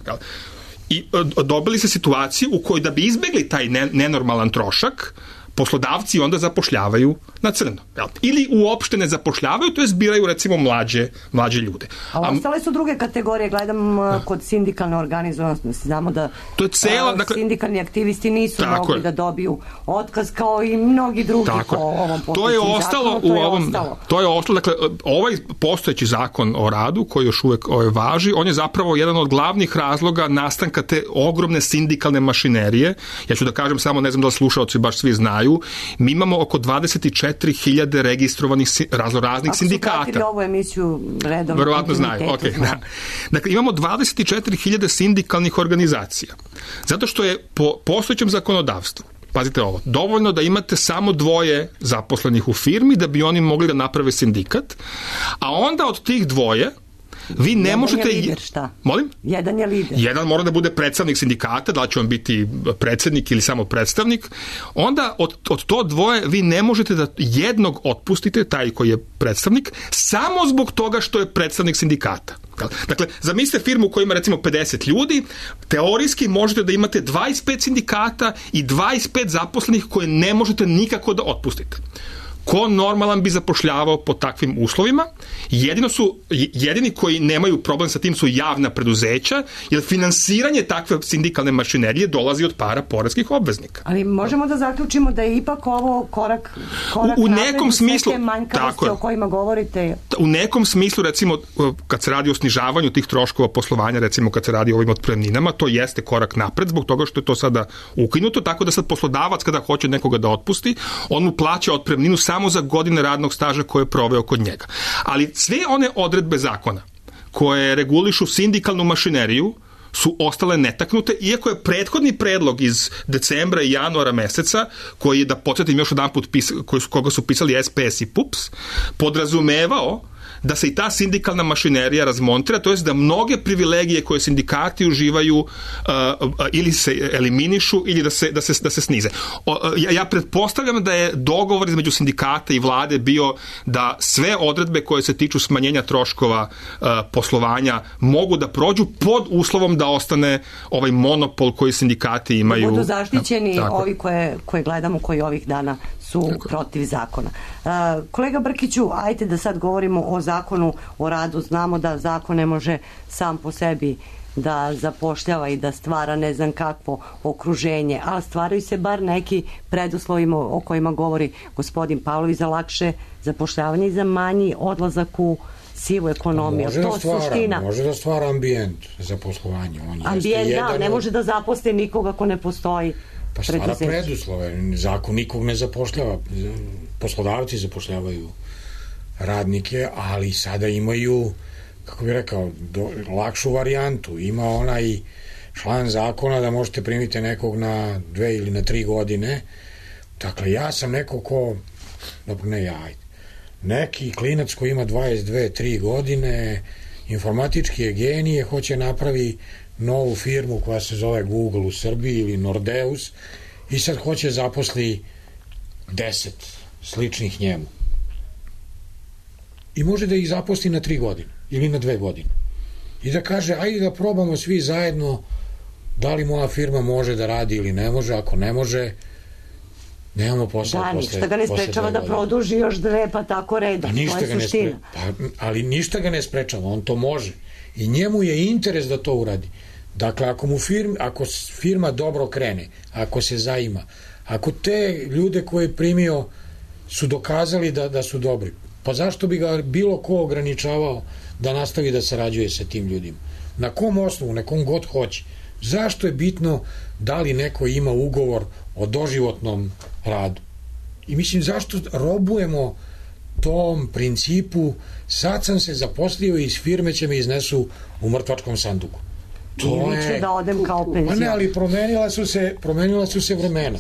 I dobili se situaciju u kojoj da bi izbegli taj ne, nenormalan trošak, poslodavci onda zapošljavaju na crno. Jel? Ili uopšte ne zapošljavaju, to je zbiraju recimo mlađe, mlađe ljude. A ostale su druge kategorije, gledam uh, kod sindikalne organizovanosti, znamo da to je cela, uh, dakle, sindikalni aktivisti nisu mogli je. da dobiju otkaz kao i mnogi drugi tako po ovom to je ostalo zakonu, to u je ovom ostalo. To je ostalo, dakle, ovaj postojeći zakon o radu koji još uvek ovaj, važi, on je zapravo jedan od glavnih razloga nastanka te ogromne sindikalne mašinerije. Ja ću da kažem samo, ne znam da li slušaoci baš svi znaju, mi imamo oko dvadeset četiri hiljade registrovanih raznoraznih sindikata. Ako su pratili ovu emisiju redom, verovatno znaju. Okay, da. Dakle, imamo dvadeset četiri hiljade sindikalnih organizacija. Zato što je po postojećem zakonodavstvu, pazite ovo, dovoljno da imate samo dvoje zaposlenih u firmi da bi oni mogli da naprave sindikat, a onda od tih dvoje vi ne Jedan možete... je lider, šta? Molim? Jedan je lider. Jedan mora da bude predstavnik sindikata, da li će on biti predsednik ili samo predstavnik. Onda od, od to dvoje vi ne možete da jednog otpustite, taj koji je predstavnik, samo zbog toga što je predstavnik sindikata. Dakle, zamislite firmu koja ima recimo pedeset ljudi, teorijski možete da imate dvadeset pet sindikata i dvadeset pet zaposlenih koje ne možete nikako da otpustite. Ko normalan bi zapošljavao po takvim uslovima? Jedino su, jedini koji nemaju problem sa tim su javna preduzeća, jer finansiranje takve sindikalne mašinerije dolazi od para poreskih obveznika. Ali možemo da zaključimo da je ipak ovo korak, korak u, u nekom smislu, sve te manjkavosti o kojima govorite. U nekom smislu, recimo, kad se radi o snižavanju tih troškova poslovanja, recimo kad se radi o ovim otpremninama, to jeste korak napred, zbog toga što je to sada ukinuto, tako da sad poslodavac kada hoće nekoga da otpusti, on mu plaća otpremninu samo za godine radnog staža koje je proveo kod njega. Ali sve one odredbe zakona koje regulišu sindikalnu mašineriju su ostale netaknute, iako je prethodni predlog iz decembra i januara meseca, koji je, da podsjetim još jedan put, koga su pisali S P S i P U P S, podrazumevao da se i ta sindikalna mašinerija razmontira, to jest da mnoge privilegije koje sindikati uživaju uh, ili se eliminišu ili da se, da se, da se snize. O, ja, ja pretpostavljam da je dogovor između sindikata i vlade bio da sve odredbe koje se tiču smanjenja troškova uh, poslovanja mogu da prođu pod uslovom da ostane ovaj monopol koji sindikati imaju. Da budu zaštićeni tako. Ovi koje, koje gledamo, koji ovih dana su tako protiv zakona. Uh, kolega Brkiću, ajte da sad govorimo o zakonu o radu. Znamo da zakon ne može sam po sebi da zapošljava i da stvara ne znam kakvo okruženje, ali stvaraju se bar neki preduslovima o kojima govori gospodin Pavlović za lakše zapošljavanje i za manji odlazak u sivu ekonomiju. Može, to da stvara, suština. može da stvara ambijent za poslovanje. On ambijent, da, jedan ne od... može da zaposli nikoga ko ne postoji. Pa stvara preduslove. Zakon nikog ne zapošljava. Poslodavci zapošljavaju radnike, ali sada imaju, kako bih rekao, do, lakšu varijantu. Ima onaj član zakona da možete primiti nekog na dve ili na tri godine. Dakle, ja sam neko ko, dobro, ne ja, ajde, neki klinac koji ima dvadeset dve tri godine, informatički je genije, hoće napravi novu firmu koja se zove Google u Srbiji ili Nordeus i sad hoće zaposli deset sličnih njemu. I može da ih zaposli na tri godine ili na dve godine. I da kaže, ajde da probamo svi zajedno Da li moja firma može da radi ili ne može, ako ne može, nemamo posao. Da, ništa ga ne sprečava da produži još dve, pa tako redom. Pa ništa ga ne sprečava. Pa, ali ništa ga ne sprečava, on to može. I njemu je interes da to uradi. Dakle, ako mu firma, ako firma dobro krene, ako se zaima, ako te ljude koje je primio su dokazali da, da su dobri, pa zašto bi ga bilo ko ograničavao da nastavi da sarađuje sa tim ljudima? Na kom osnovu, na kom god hoće? Zašto je bitno da li neko ima ugovor o doživotnom radu? I mislim, zašto robujemo tom principu, sad sam se zaposlio i iz firme će me iznesu u mrtvačkom sanduku. To je... ću da odem kao penzion. Pa ne, ali promenila su se, promenila su se vremena.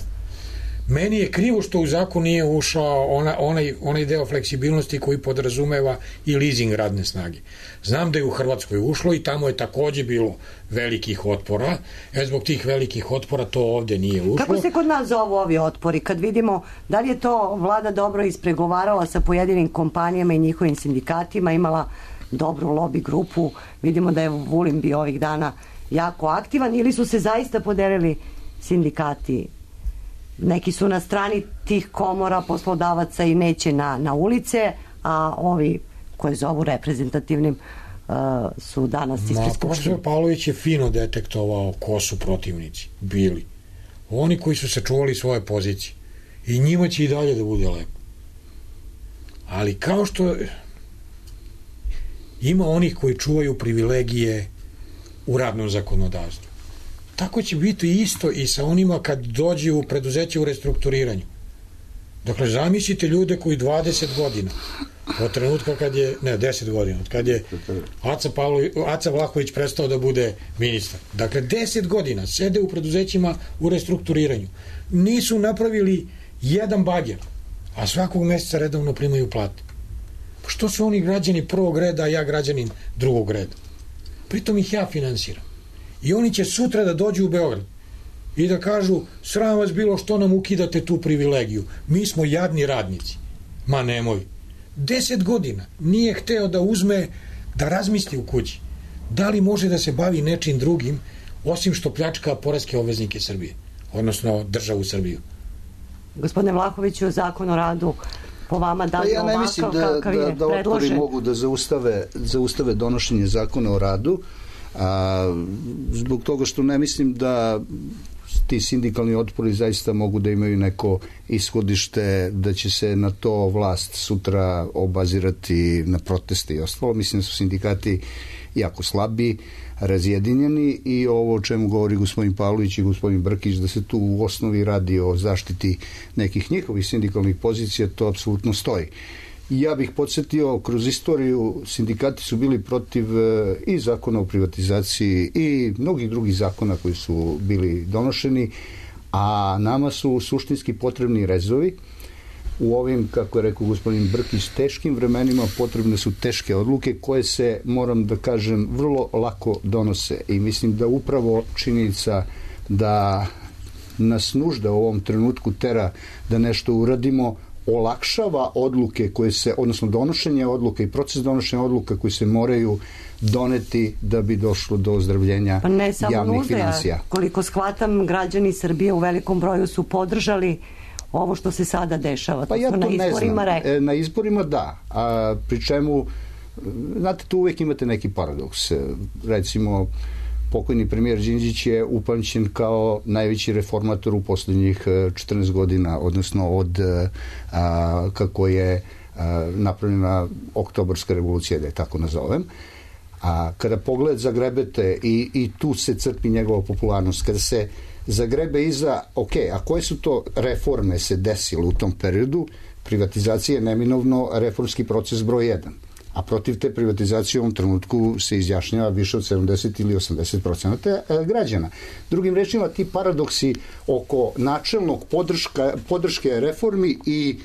Meni je krivo što u zakon nije ušao ona, onaj, onaj deo fleksibilnosti koji podrazumeva i leasing radne snage. Znam da je u Hrvatskoj ušlo i tamo je takođe bilo velikih otpora. E, zbog tih velikih otpora to ovde nije ušlo. Kako se kod nas zovu ovi otpori? Kad vidimo da li je to vlada dobro ispregovarala sa pojedinim kompanijama i njihovim sindikatima, imala dobru lobby grupu, vidimo da je Vulin bio ovih dana jako aktivan, ili su se zaista podelili sindikati? Neki su na strani tih komora poslodavaca i neće na, na ulice, a ovi koje zovu reprezentativnim uh, su danas ispred skupštine. Profesor Pavlović je fino detektovao ko su protivnici bili. Oni koji su sačuvali svoje pozicije. I njima će i dalje da bude lepo. Ali kao što ima onih koji čuvaju privilegije u radnom zakonodavstvu, tako će biti isto i sa onima kad dođe u preduzeće u restrukturiranju. Dakle, zamislite ljude koji dvadeset godina, od trenutka kad je, ne, deset godina, od kad je Aca, Pavlović, Aca Vlahović prestao da bude ministar. Dakle, deset godina sede u preduzećima u restrukturiranju. Nisu napravili jedan bager, a svakog meseca redovno primaju plate. Pa što su oni građani prvog reda, a ja građanin drugog reda? Pritom ih ja finansiram. I oni će sutra da dođu u Beograd i da kažu, sram vas bilo što nam ukidate tu privilegiju. Mi smo jadni radnici. Ma nemoj. Deset godina nije hteo da uzme, da razmisli u kući. Da li može da se bavi nečim drugim, osim što pljačka poreske obveznike Srbije, odnosno državu Srbiju. Gospodine Vlahoviću, zakon o radu po vama da li ja ne mislim ovakav da, kakav da, je da otpori predložen? mogu da zaustave, zaustave donošenje zakona o radu, a, zbog toga što ne mislim da ti sindikalni otpori zaista mogu da imaju neko ishodište, da će se na to vlast sutra obazirati na proteste i ostalo. Mislim da su sindikati jako slabi, razjedinjeni i ovo o čemu govori gospodin Pavlović i gospodin Brkić, da se tu u osnovi radi o zaštiti nekih njihovih sindikalnih pozicija, to apsolutno stoji. Ja bih podsjetio, kroz istoriju sindikati su bili protiv i zakona o privatizaciji i mnogih drugih zakona koji su bili donošeni, a nama su suštinski potrebni rezovi. U ovim, kako je rekao gospodin Brkić, teškim vremenima potrebne su teške odluke koje se, moram da kažem, vrlo lako donose i mislim da upravo činjenica da nas nužda u ovom trenutku tera da nešto uradimo olakšava odluke koje se, odnosno donošenje odluka i proces donošenja odluka koji se moraju doneti da bi došlo do ozdravljenja pa ne samo javnih nužde, finansija. Koliko shvatam, građani Srbije u velikom broju su podržali ovo što se sada dešava. Pa ja to na ne izborima znam. Rekli. Na izborima da, a pri čemu, znate, tu uvek imate neki paradoks. Recimo, pokojni premijer Đinđić je upamćen kao najveći reformator u poslednjih četrnaest godina, odnosno od a, kako je a, napravljena oktobarska revolucija, da je tako nazovem. A kada pogled zagrebete i, i tu se crpi njegova popularnost, kada se zagrebe iza, ok, a koje su to reforme se desile u tom periodu? Privatizacija je neminovno reformski proces broj jedan. A protiv te privatizacije u ovom trenutku se izjašnjava više od sedamdeset ili osamdeset procenata građana. Drugim rečima, ti paradoksi oko načelnog podrška, podrške reformi i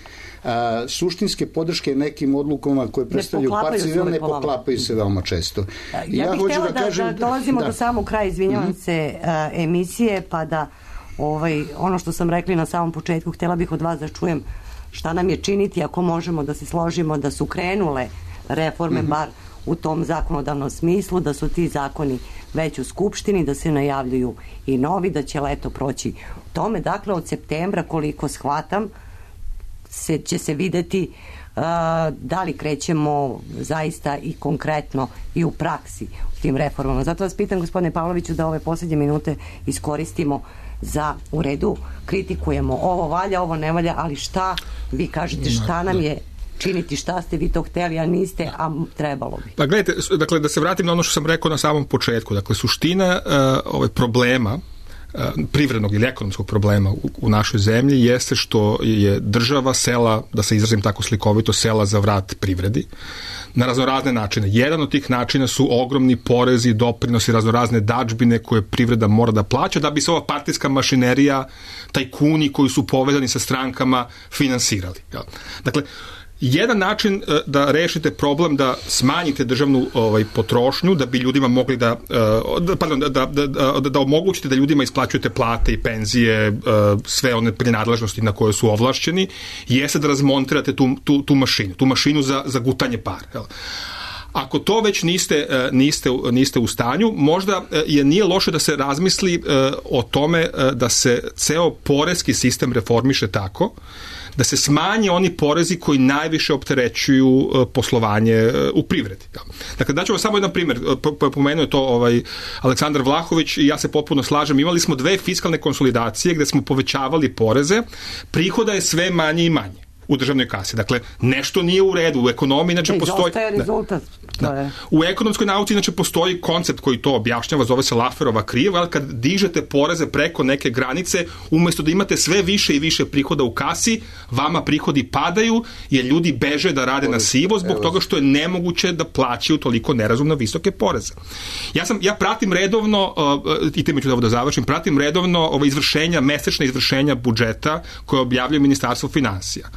a, suštinske podrške nekim odlukama koje predstavljaju parcijalne, ne poklapaju se veoma često. Ja, ja bih htjela da, da, kažem, da dolazimo da. do samog kraja, izvinjavam mm-hmm. se, a, emisije, pa da ovaj, ono što sam rekli na samom početku, htjela bih od vas da čujem šta nam je činiti ako možemo da se složimo da su krenule reforme, mm-hmm. bar u tom zakonodavnom smislu, da su ti zakoni već u Skupštini, da se najavljuju i novi, da će leto proći tome. Dakle, od septembra, koliko shvatam, se, će se videti uh, da li krećemo zaista i konkretno i u praksi u tim reformama. Zato vas pitam, gospodine Pavloviću, da ove posljednje minute iskoristimo za, u redu, kritikujemo ovo valja, ovo ne valja, ali šta vi kažete, šta nam je činiti, šta ste vi to hteli, a niste, a trebalo bi. Pa gledajte, dakle, da se vratim na ono što sam rekao na samom početku, dakle, suština uh, ovaj problema, uh, privrednog ili ekonomskog problema u, u našoj zemlji jeste što je država sela, da se izrazim tako slikovito, sela za vrat privredi na raznorazne načine. Jedan od tih načina su ogromni porezi, doprinosi, raznorazne dadžbine koje privreda mora da plaća da bi se ova partijska mašinerija, tajkuni koji su povezani sa strankama finansirali. Dakle, jedan način da rešite problem, da smanjite državnu ovaj, potrošnju, da bi ljudima mogli da, uh, pardon, da, da, da, da omogućite da ljudima isplaćujete plate i penzije, uh, sve one prinadležnosti na koje su ovlašćeni, jeste da razmontirate tu, tu, tu mašinu, tu mašinu za, za gutanje para. Jel? Ako to već niste, niste, niste u stanju, možda je nije loše da se razmisli o tome da se ceo poreski sistem reformiše tako da se smanje oni porezi koji najviše opterećuju poslovanje u privredi. Dakle, daću vam samo jedan primjer. Pomenuo je to ovaj Aleksandar Vlahović i ja se potpuno slažem. Imali smo dve fiskalne konsolidacije gde smo povećavali poreze, prihoda je sve manje i manje u državnoj kasi. Dakle, nešto nije u redu. U ekonomiji, znači, postoji... Izostaje rezultat. Da, da. U ekonomskoj nauci, znači, postoji koncept koji to objašnjava, zove se Lafferova kriva, ali kad dižete poreze preko neke granice, umjesto da imate sve više i više prihoda u kasi, vama prihodi padaju, jer ljudi beže da rade na sivo zbog toga što je nemoguće da plaćaju toliko nerazumno visoke poreze. Ja sam, ja pratim redovno, uh, i time ću da završim, pratim redovno ove izvršenja, mesečne izvršenja budžeta koje objavljuje Ministarstvo finansija.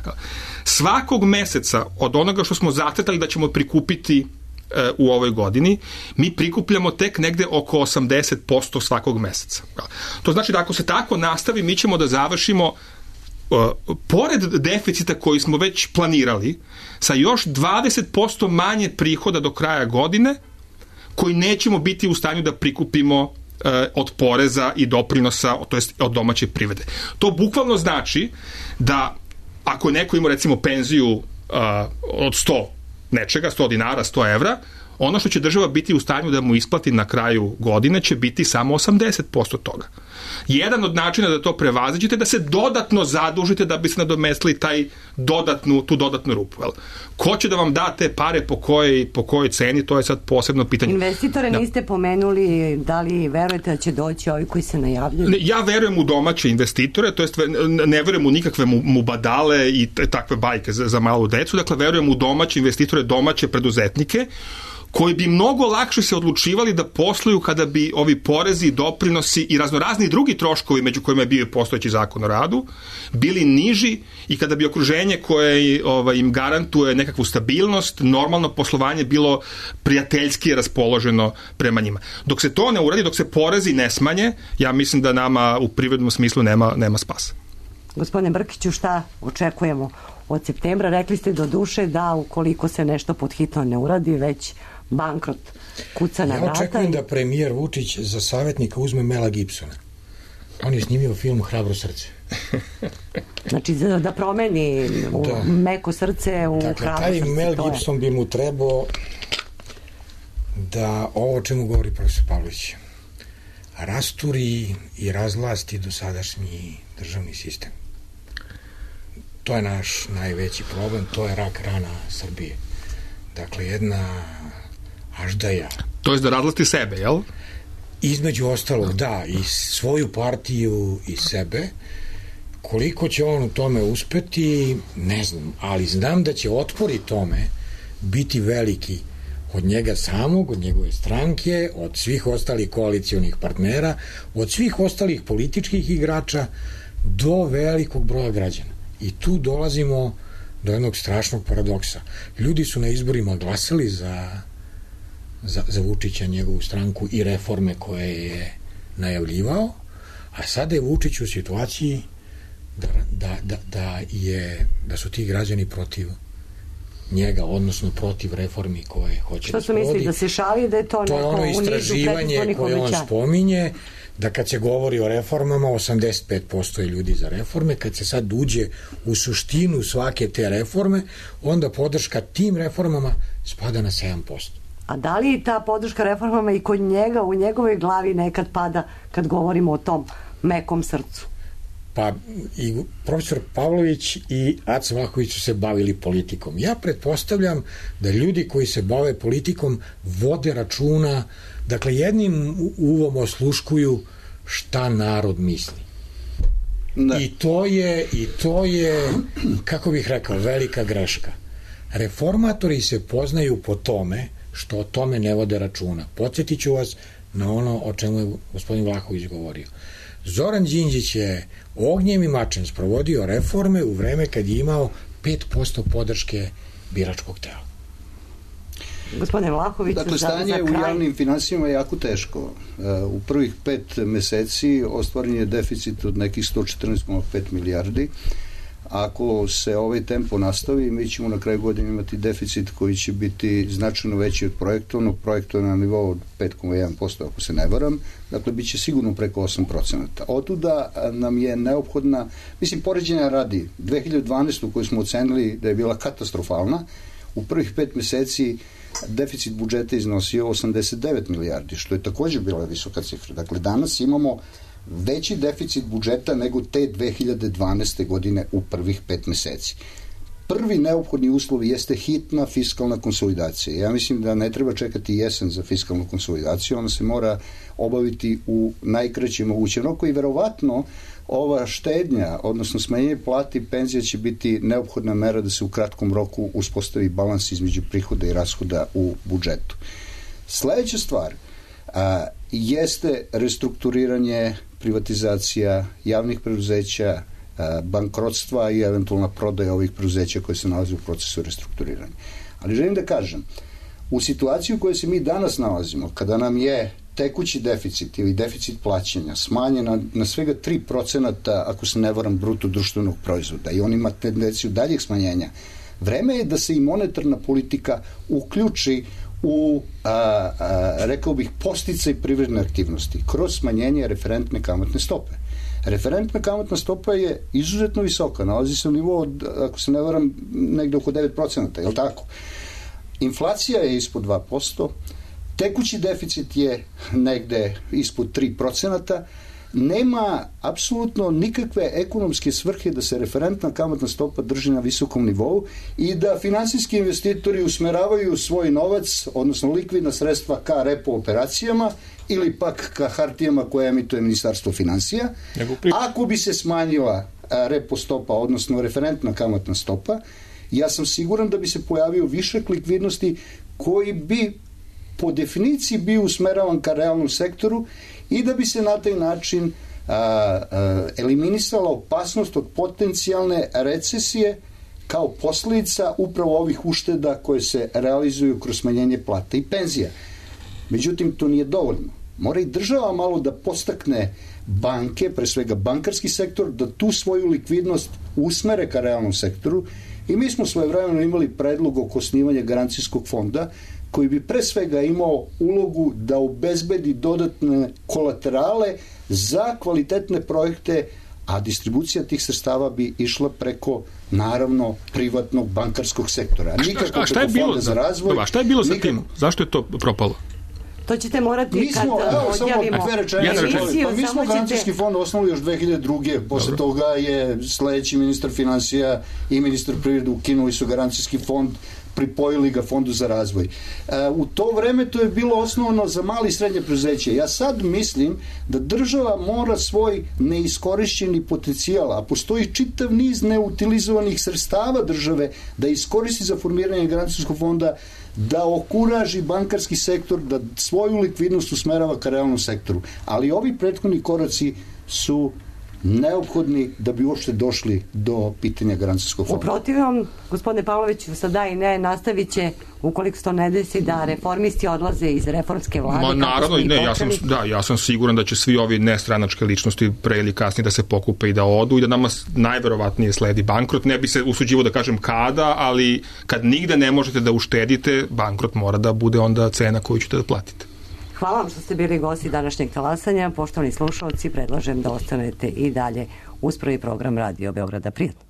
Svakog meseca od onoga što smo zacrtali da ćemo prikupiti e, u ovoj godini, mi prikupljamo tek negde oko osamdeset posto svakog meseca. To znači da ako se tako nastavi, mi ćemo da završimo e, pored deficita koji smo već planirali, sa još dvadeset posto manje prihoda do kraja godine, koji nećemo biti u stanju da prikupimo e, od poreza i doprinosa, to jest od domaće privrede. To bukvalno znači da ako neko ima recimo penziju uh, od sto nečega, sto dinara, sto evra, ono što će država biti u stanju da mu isplati na kraju godine će biti samo osamdeset posto toga. Jedan od načina da to prevaziđete je da se dodatno zadužite da bi se nadomestili taj dodatnu, tu dodatnu rupu. Jel? Ko će da vam da te pare po kojoj, po kojoj ceni, to je sad posebno pitanje. Investitore da. Niste pomenuli, da li verujete da će doći ovi koji se najavljuju? Ne, ja verujem u domaće investitore, to jest ne verujem u nikakve mubadale i takve bajke za, za malu decu, dakle verujem u domaće investitore, domaće preduzetnike, koji bi mnogo lakše se odlučivali da posluju kada bi ovi porezi, doprinosi i raznorazni drugi troškovi, među kojima je bio postojeći zakon o radu, bili niži i kada bi okruženje koje ovaj, im garantuje nekakvu stabilnost, normalno poslovanje bilo prijateljski raspoloženo prema njima. Dok se to ne uradi, dok se porezi ne smanje, ja mislim da nama u privrednom smislu nema, nema spasa. Gospodine Brkiću, šta očekujemo od septembra? Rekli ste do duše da ukoliko se nešto pod hitno ne uradi, već bankrot kuca na vrata. Ja očekujem i... da premijer Vučić za savjetnika uzme Mela Gibsona. On je snimio film Hrabro srce. Znači da promeni u da. meko srce u dakle, hrabro srce. Taj Mel Gibson bi mu trebao da ovo o čemu govori profesor Pavlović rasturi i razvlasti dosadašnji državni sistem. To je naš najveći problem, to je rak rana Srbije. Dakle, jedna aždaja. To je da razvlasti sebe, jel? Između ostalog, da, i svoju partiju i sebe. Koliko će on u tome uspeti, ne znam, ali znam da će otpori tome biti veliki od njega samog, od njegove stranke, od svih ostalih koalicionih partnera, od svih ostalih političkih igrača do velikog broja građana. I tu dolazimo do jednog strašnog paradoksa. Ljudi su na izborima glasali za, za, za Vučića, njegovu stranku i reforme koje je najavljivao, a sada je Vučić u situaciji da, da, da, da, je, da su ti građani protiv njega, odnosno protiv reformi koje hoće Što da su sprovodi. mislili da se šali da je to, to je ono istraživanje koje on spominje, da kad se govori o reformama osamdeset pet posto je ljudi za reforme, kad se sad uđe u suštinu svake te reforme, onda podrška tim reformama spada na sedam posto. A da li ta podrška reformama i kod njega, u njegovoj glavi nekad pada kad govorimo o tom mekom srcu? Pa i profesor Pavlović i Aca Vlahović su se bavili politikom. Ja pretpostavljam da ljudi koji se bave politikom vode računa, dakle jednim uvom osluškuju šta narod misli. Da. I to je, i to je, kako bih rekao, velika greška. Reformatori se poznaju po tome što o tome ne vode računa. Podsjetit ću vas na ono o čemu je gospodin Vlahović govorio. Zoran Đinđić je ognjem i mačem sprovodio reforme u vreme kad je imao pet posto podrške biračkog tela. Gospodine Vlahović, dakle, stanje za u javnim finansijama je jako teško. U prvih pet meseci ostvaren je deficit od nekih sto četrnaest zarez pet milijardi. Ako se ovaj tempo nastavi, mi ćemo na kraju godine imati deficit koji će biti značajno veći od projektovnog, projektovnog na nivou od pet zarez jedan posto ako se ne varam, dakle bit će sigurno preko osam procenata. Otuda nam je neophodna, mislim, poređenja radi, dve hiljade dvanaestu koju smo ocenili da je bila katastrofalna, u prvih pet meseci deficit budžeta iznosio osamdeset devet milijardi, što je također bila visoka cifra. Dakle, danas imamo veći deficit budžeta nego te dve hiljade dvanaeste godine u prvih pet meseci. Prvi neophodni uslov jeste hitna fiskalna konsolidacija. Ja mislim da ne treba čekati jesen za fiskalnu konsolidaciju, ona se mora obaviti u najkraćem mogućem roku i verovatno ova štednja, odnosno smanjenje plati i penzija će biti neophodna mera da se u kratkom roku uspostavi balans između prihoda i rashoda u budžetu. Sledeća stvar a, jeste restrukturiranje, privatizacija javnih preduzeća, a, bankrotstva i eventualna prodaja ovih preduzeća koje se nalaze u procesu restrukturiranja. Ali želim da kažem, u situaciji u kojoj se mi danas nalazimo, kada nam je tekući deficit ili deficit plaćanja smanjen na, na svega tri procenta, ako se ne varam, bruto društvenog proizvoda i on ima tendenciju daljeg smanjenja, vreme je da se i monetarna politika uključi u, a, a, rekao bih, podsticaj privredne aktivnosti kroz smanjenje referentne kamatne stope. Referentna kamatna stopa je izuzetno visoka, nalazi se u nivou od, ako se ne varam, negde oko devet procenta, je li tako? Inflacija je ispod dva posto, tekući deficit je negde ispod tri procenta, nema apsolutno nikakve ekonomske svrhe da se referentna kamatna stopa drži na visokom nivou i da finansijski investitori usmeravaju svoj novac, odnosno likvidna sredstva ka repo operacijama ili pak ka hartijama koje emituje Ministarstvo finansija. Ako bi se smanjila repo stopa, odnosno referentna kamatna stopa, ja sam siguran da bi se pojavio višak likvidnosti koji bi po definiciji bio usmeravan ka realnom sektoru i da bi se na taj način a, a, eliminisala opasnost od potencijalne recesije kao posljedica upravo ovih ušteda koje se realizuju kroz smanjenje plata i penzija. Međutim, to nije dovoljno. Mora i država malo da podstakne banke, pre svega bankarski sektor, da tu svoju likvidnost usmere ka realnom sektoru i mi smo svojevremeno imali predlog oko osnivanja garancijskog fonda koji bi pre svega imao ulogu da obezbedi dodatne kolaterale za kvalitetne projekte, a distribucija tih sredstava bi išla preko, naravno, privatnog bankarskog sektora. Nikako a šta je bilo za razvoj? A šta je bilo za tim? Zašto je to propalo? To ćete morati mi kad smo, evo, odjavimo emisiju. Pa mi smo garancijski fond osnovali još dve hiljade druge. Posle Dobro. toga je sledeći ministar financija i ministar privrede ukinuli su garancijski fond, pripojili ga fondu za razvoj. E, u to vreme to je bilo osnovano za mali i srednje preduzeće. Ja sad mislim da država mora svoj neiskorišćeni potencijal, a postoji čitav niz neutilizovanih sredstava države da iskoristi za formiranje garancijskog fonda, da okuraži bankarski sektor, da svoju likvidnost usmerava ka realnom sektoru. Ali ovi prethodni koraci su neophodni da bi uopšte došli do pitanja garancijskog fonda. U protivnom, gospodine Pavloviću, sada i ne, nastavit će ukoliko se to ne desi da reformisti odlaze iz reformske vlade? Ma naravno, ne, ja sam, da, ja sam siguran da će svi ovi nestranačke ličnosti pre ili kasnije da se pokupe i da odu i da nama najverovatnije sledi bankrot. Ne bi se usuđivo da kažem kada, ali kad nigde ne možete da uštedite, bankrot mora da bude onda cena koju ćete da platite. Hvala vam što ste bili gosti današnjeg talasanja. Poštovani slušalci, predlažem da ostanete i dalje uz prvi program Radio Beograda. Prijatno.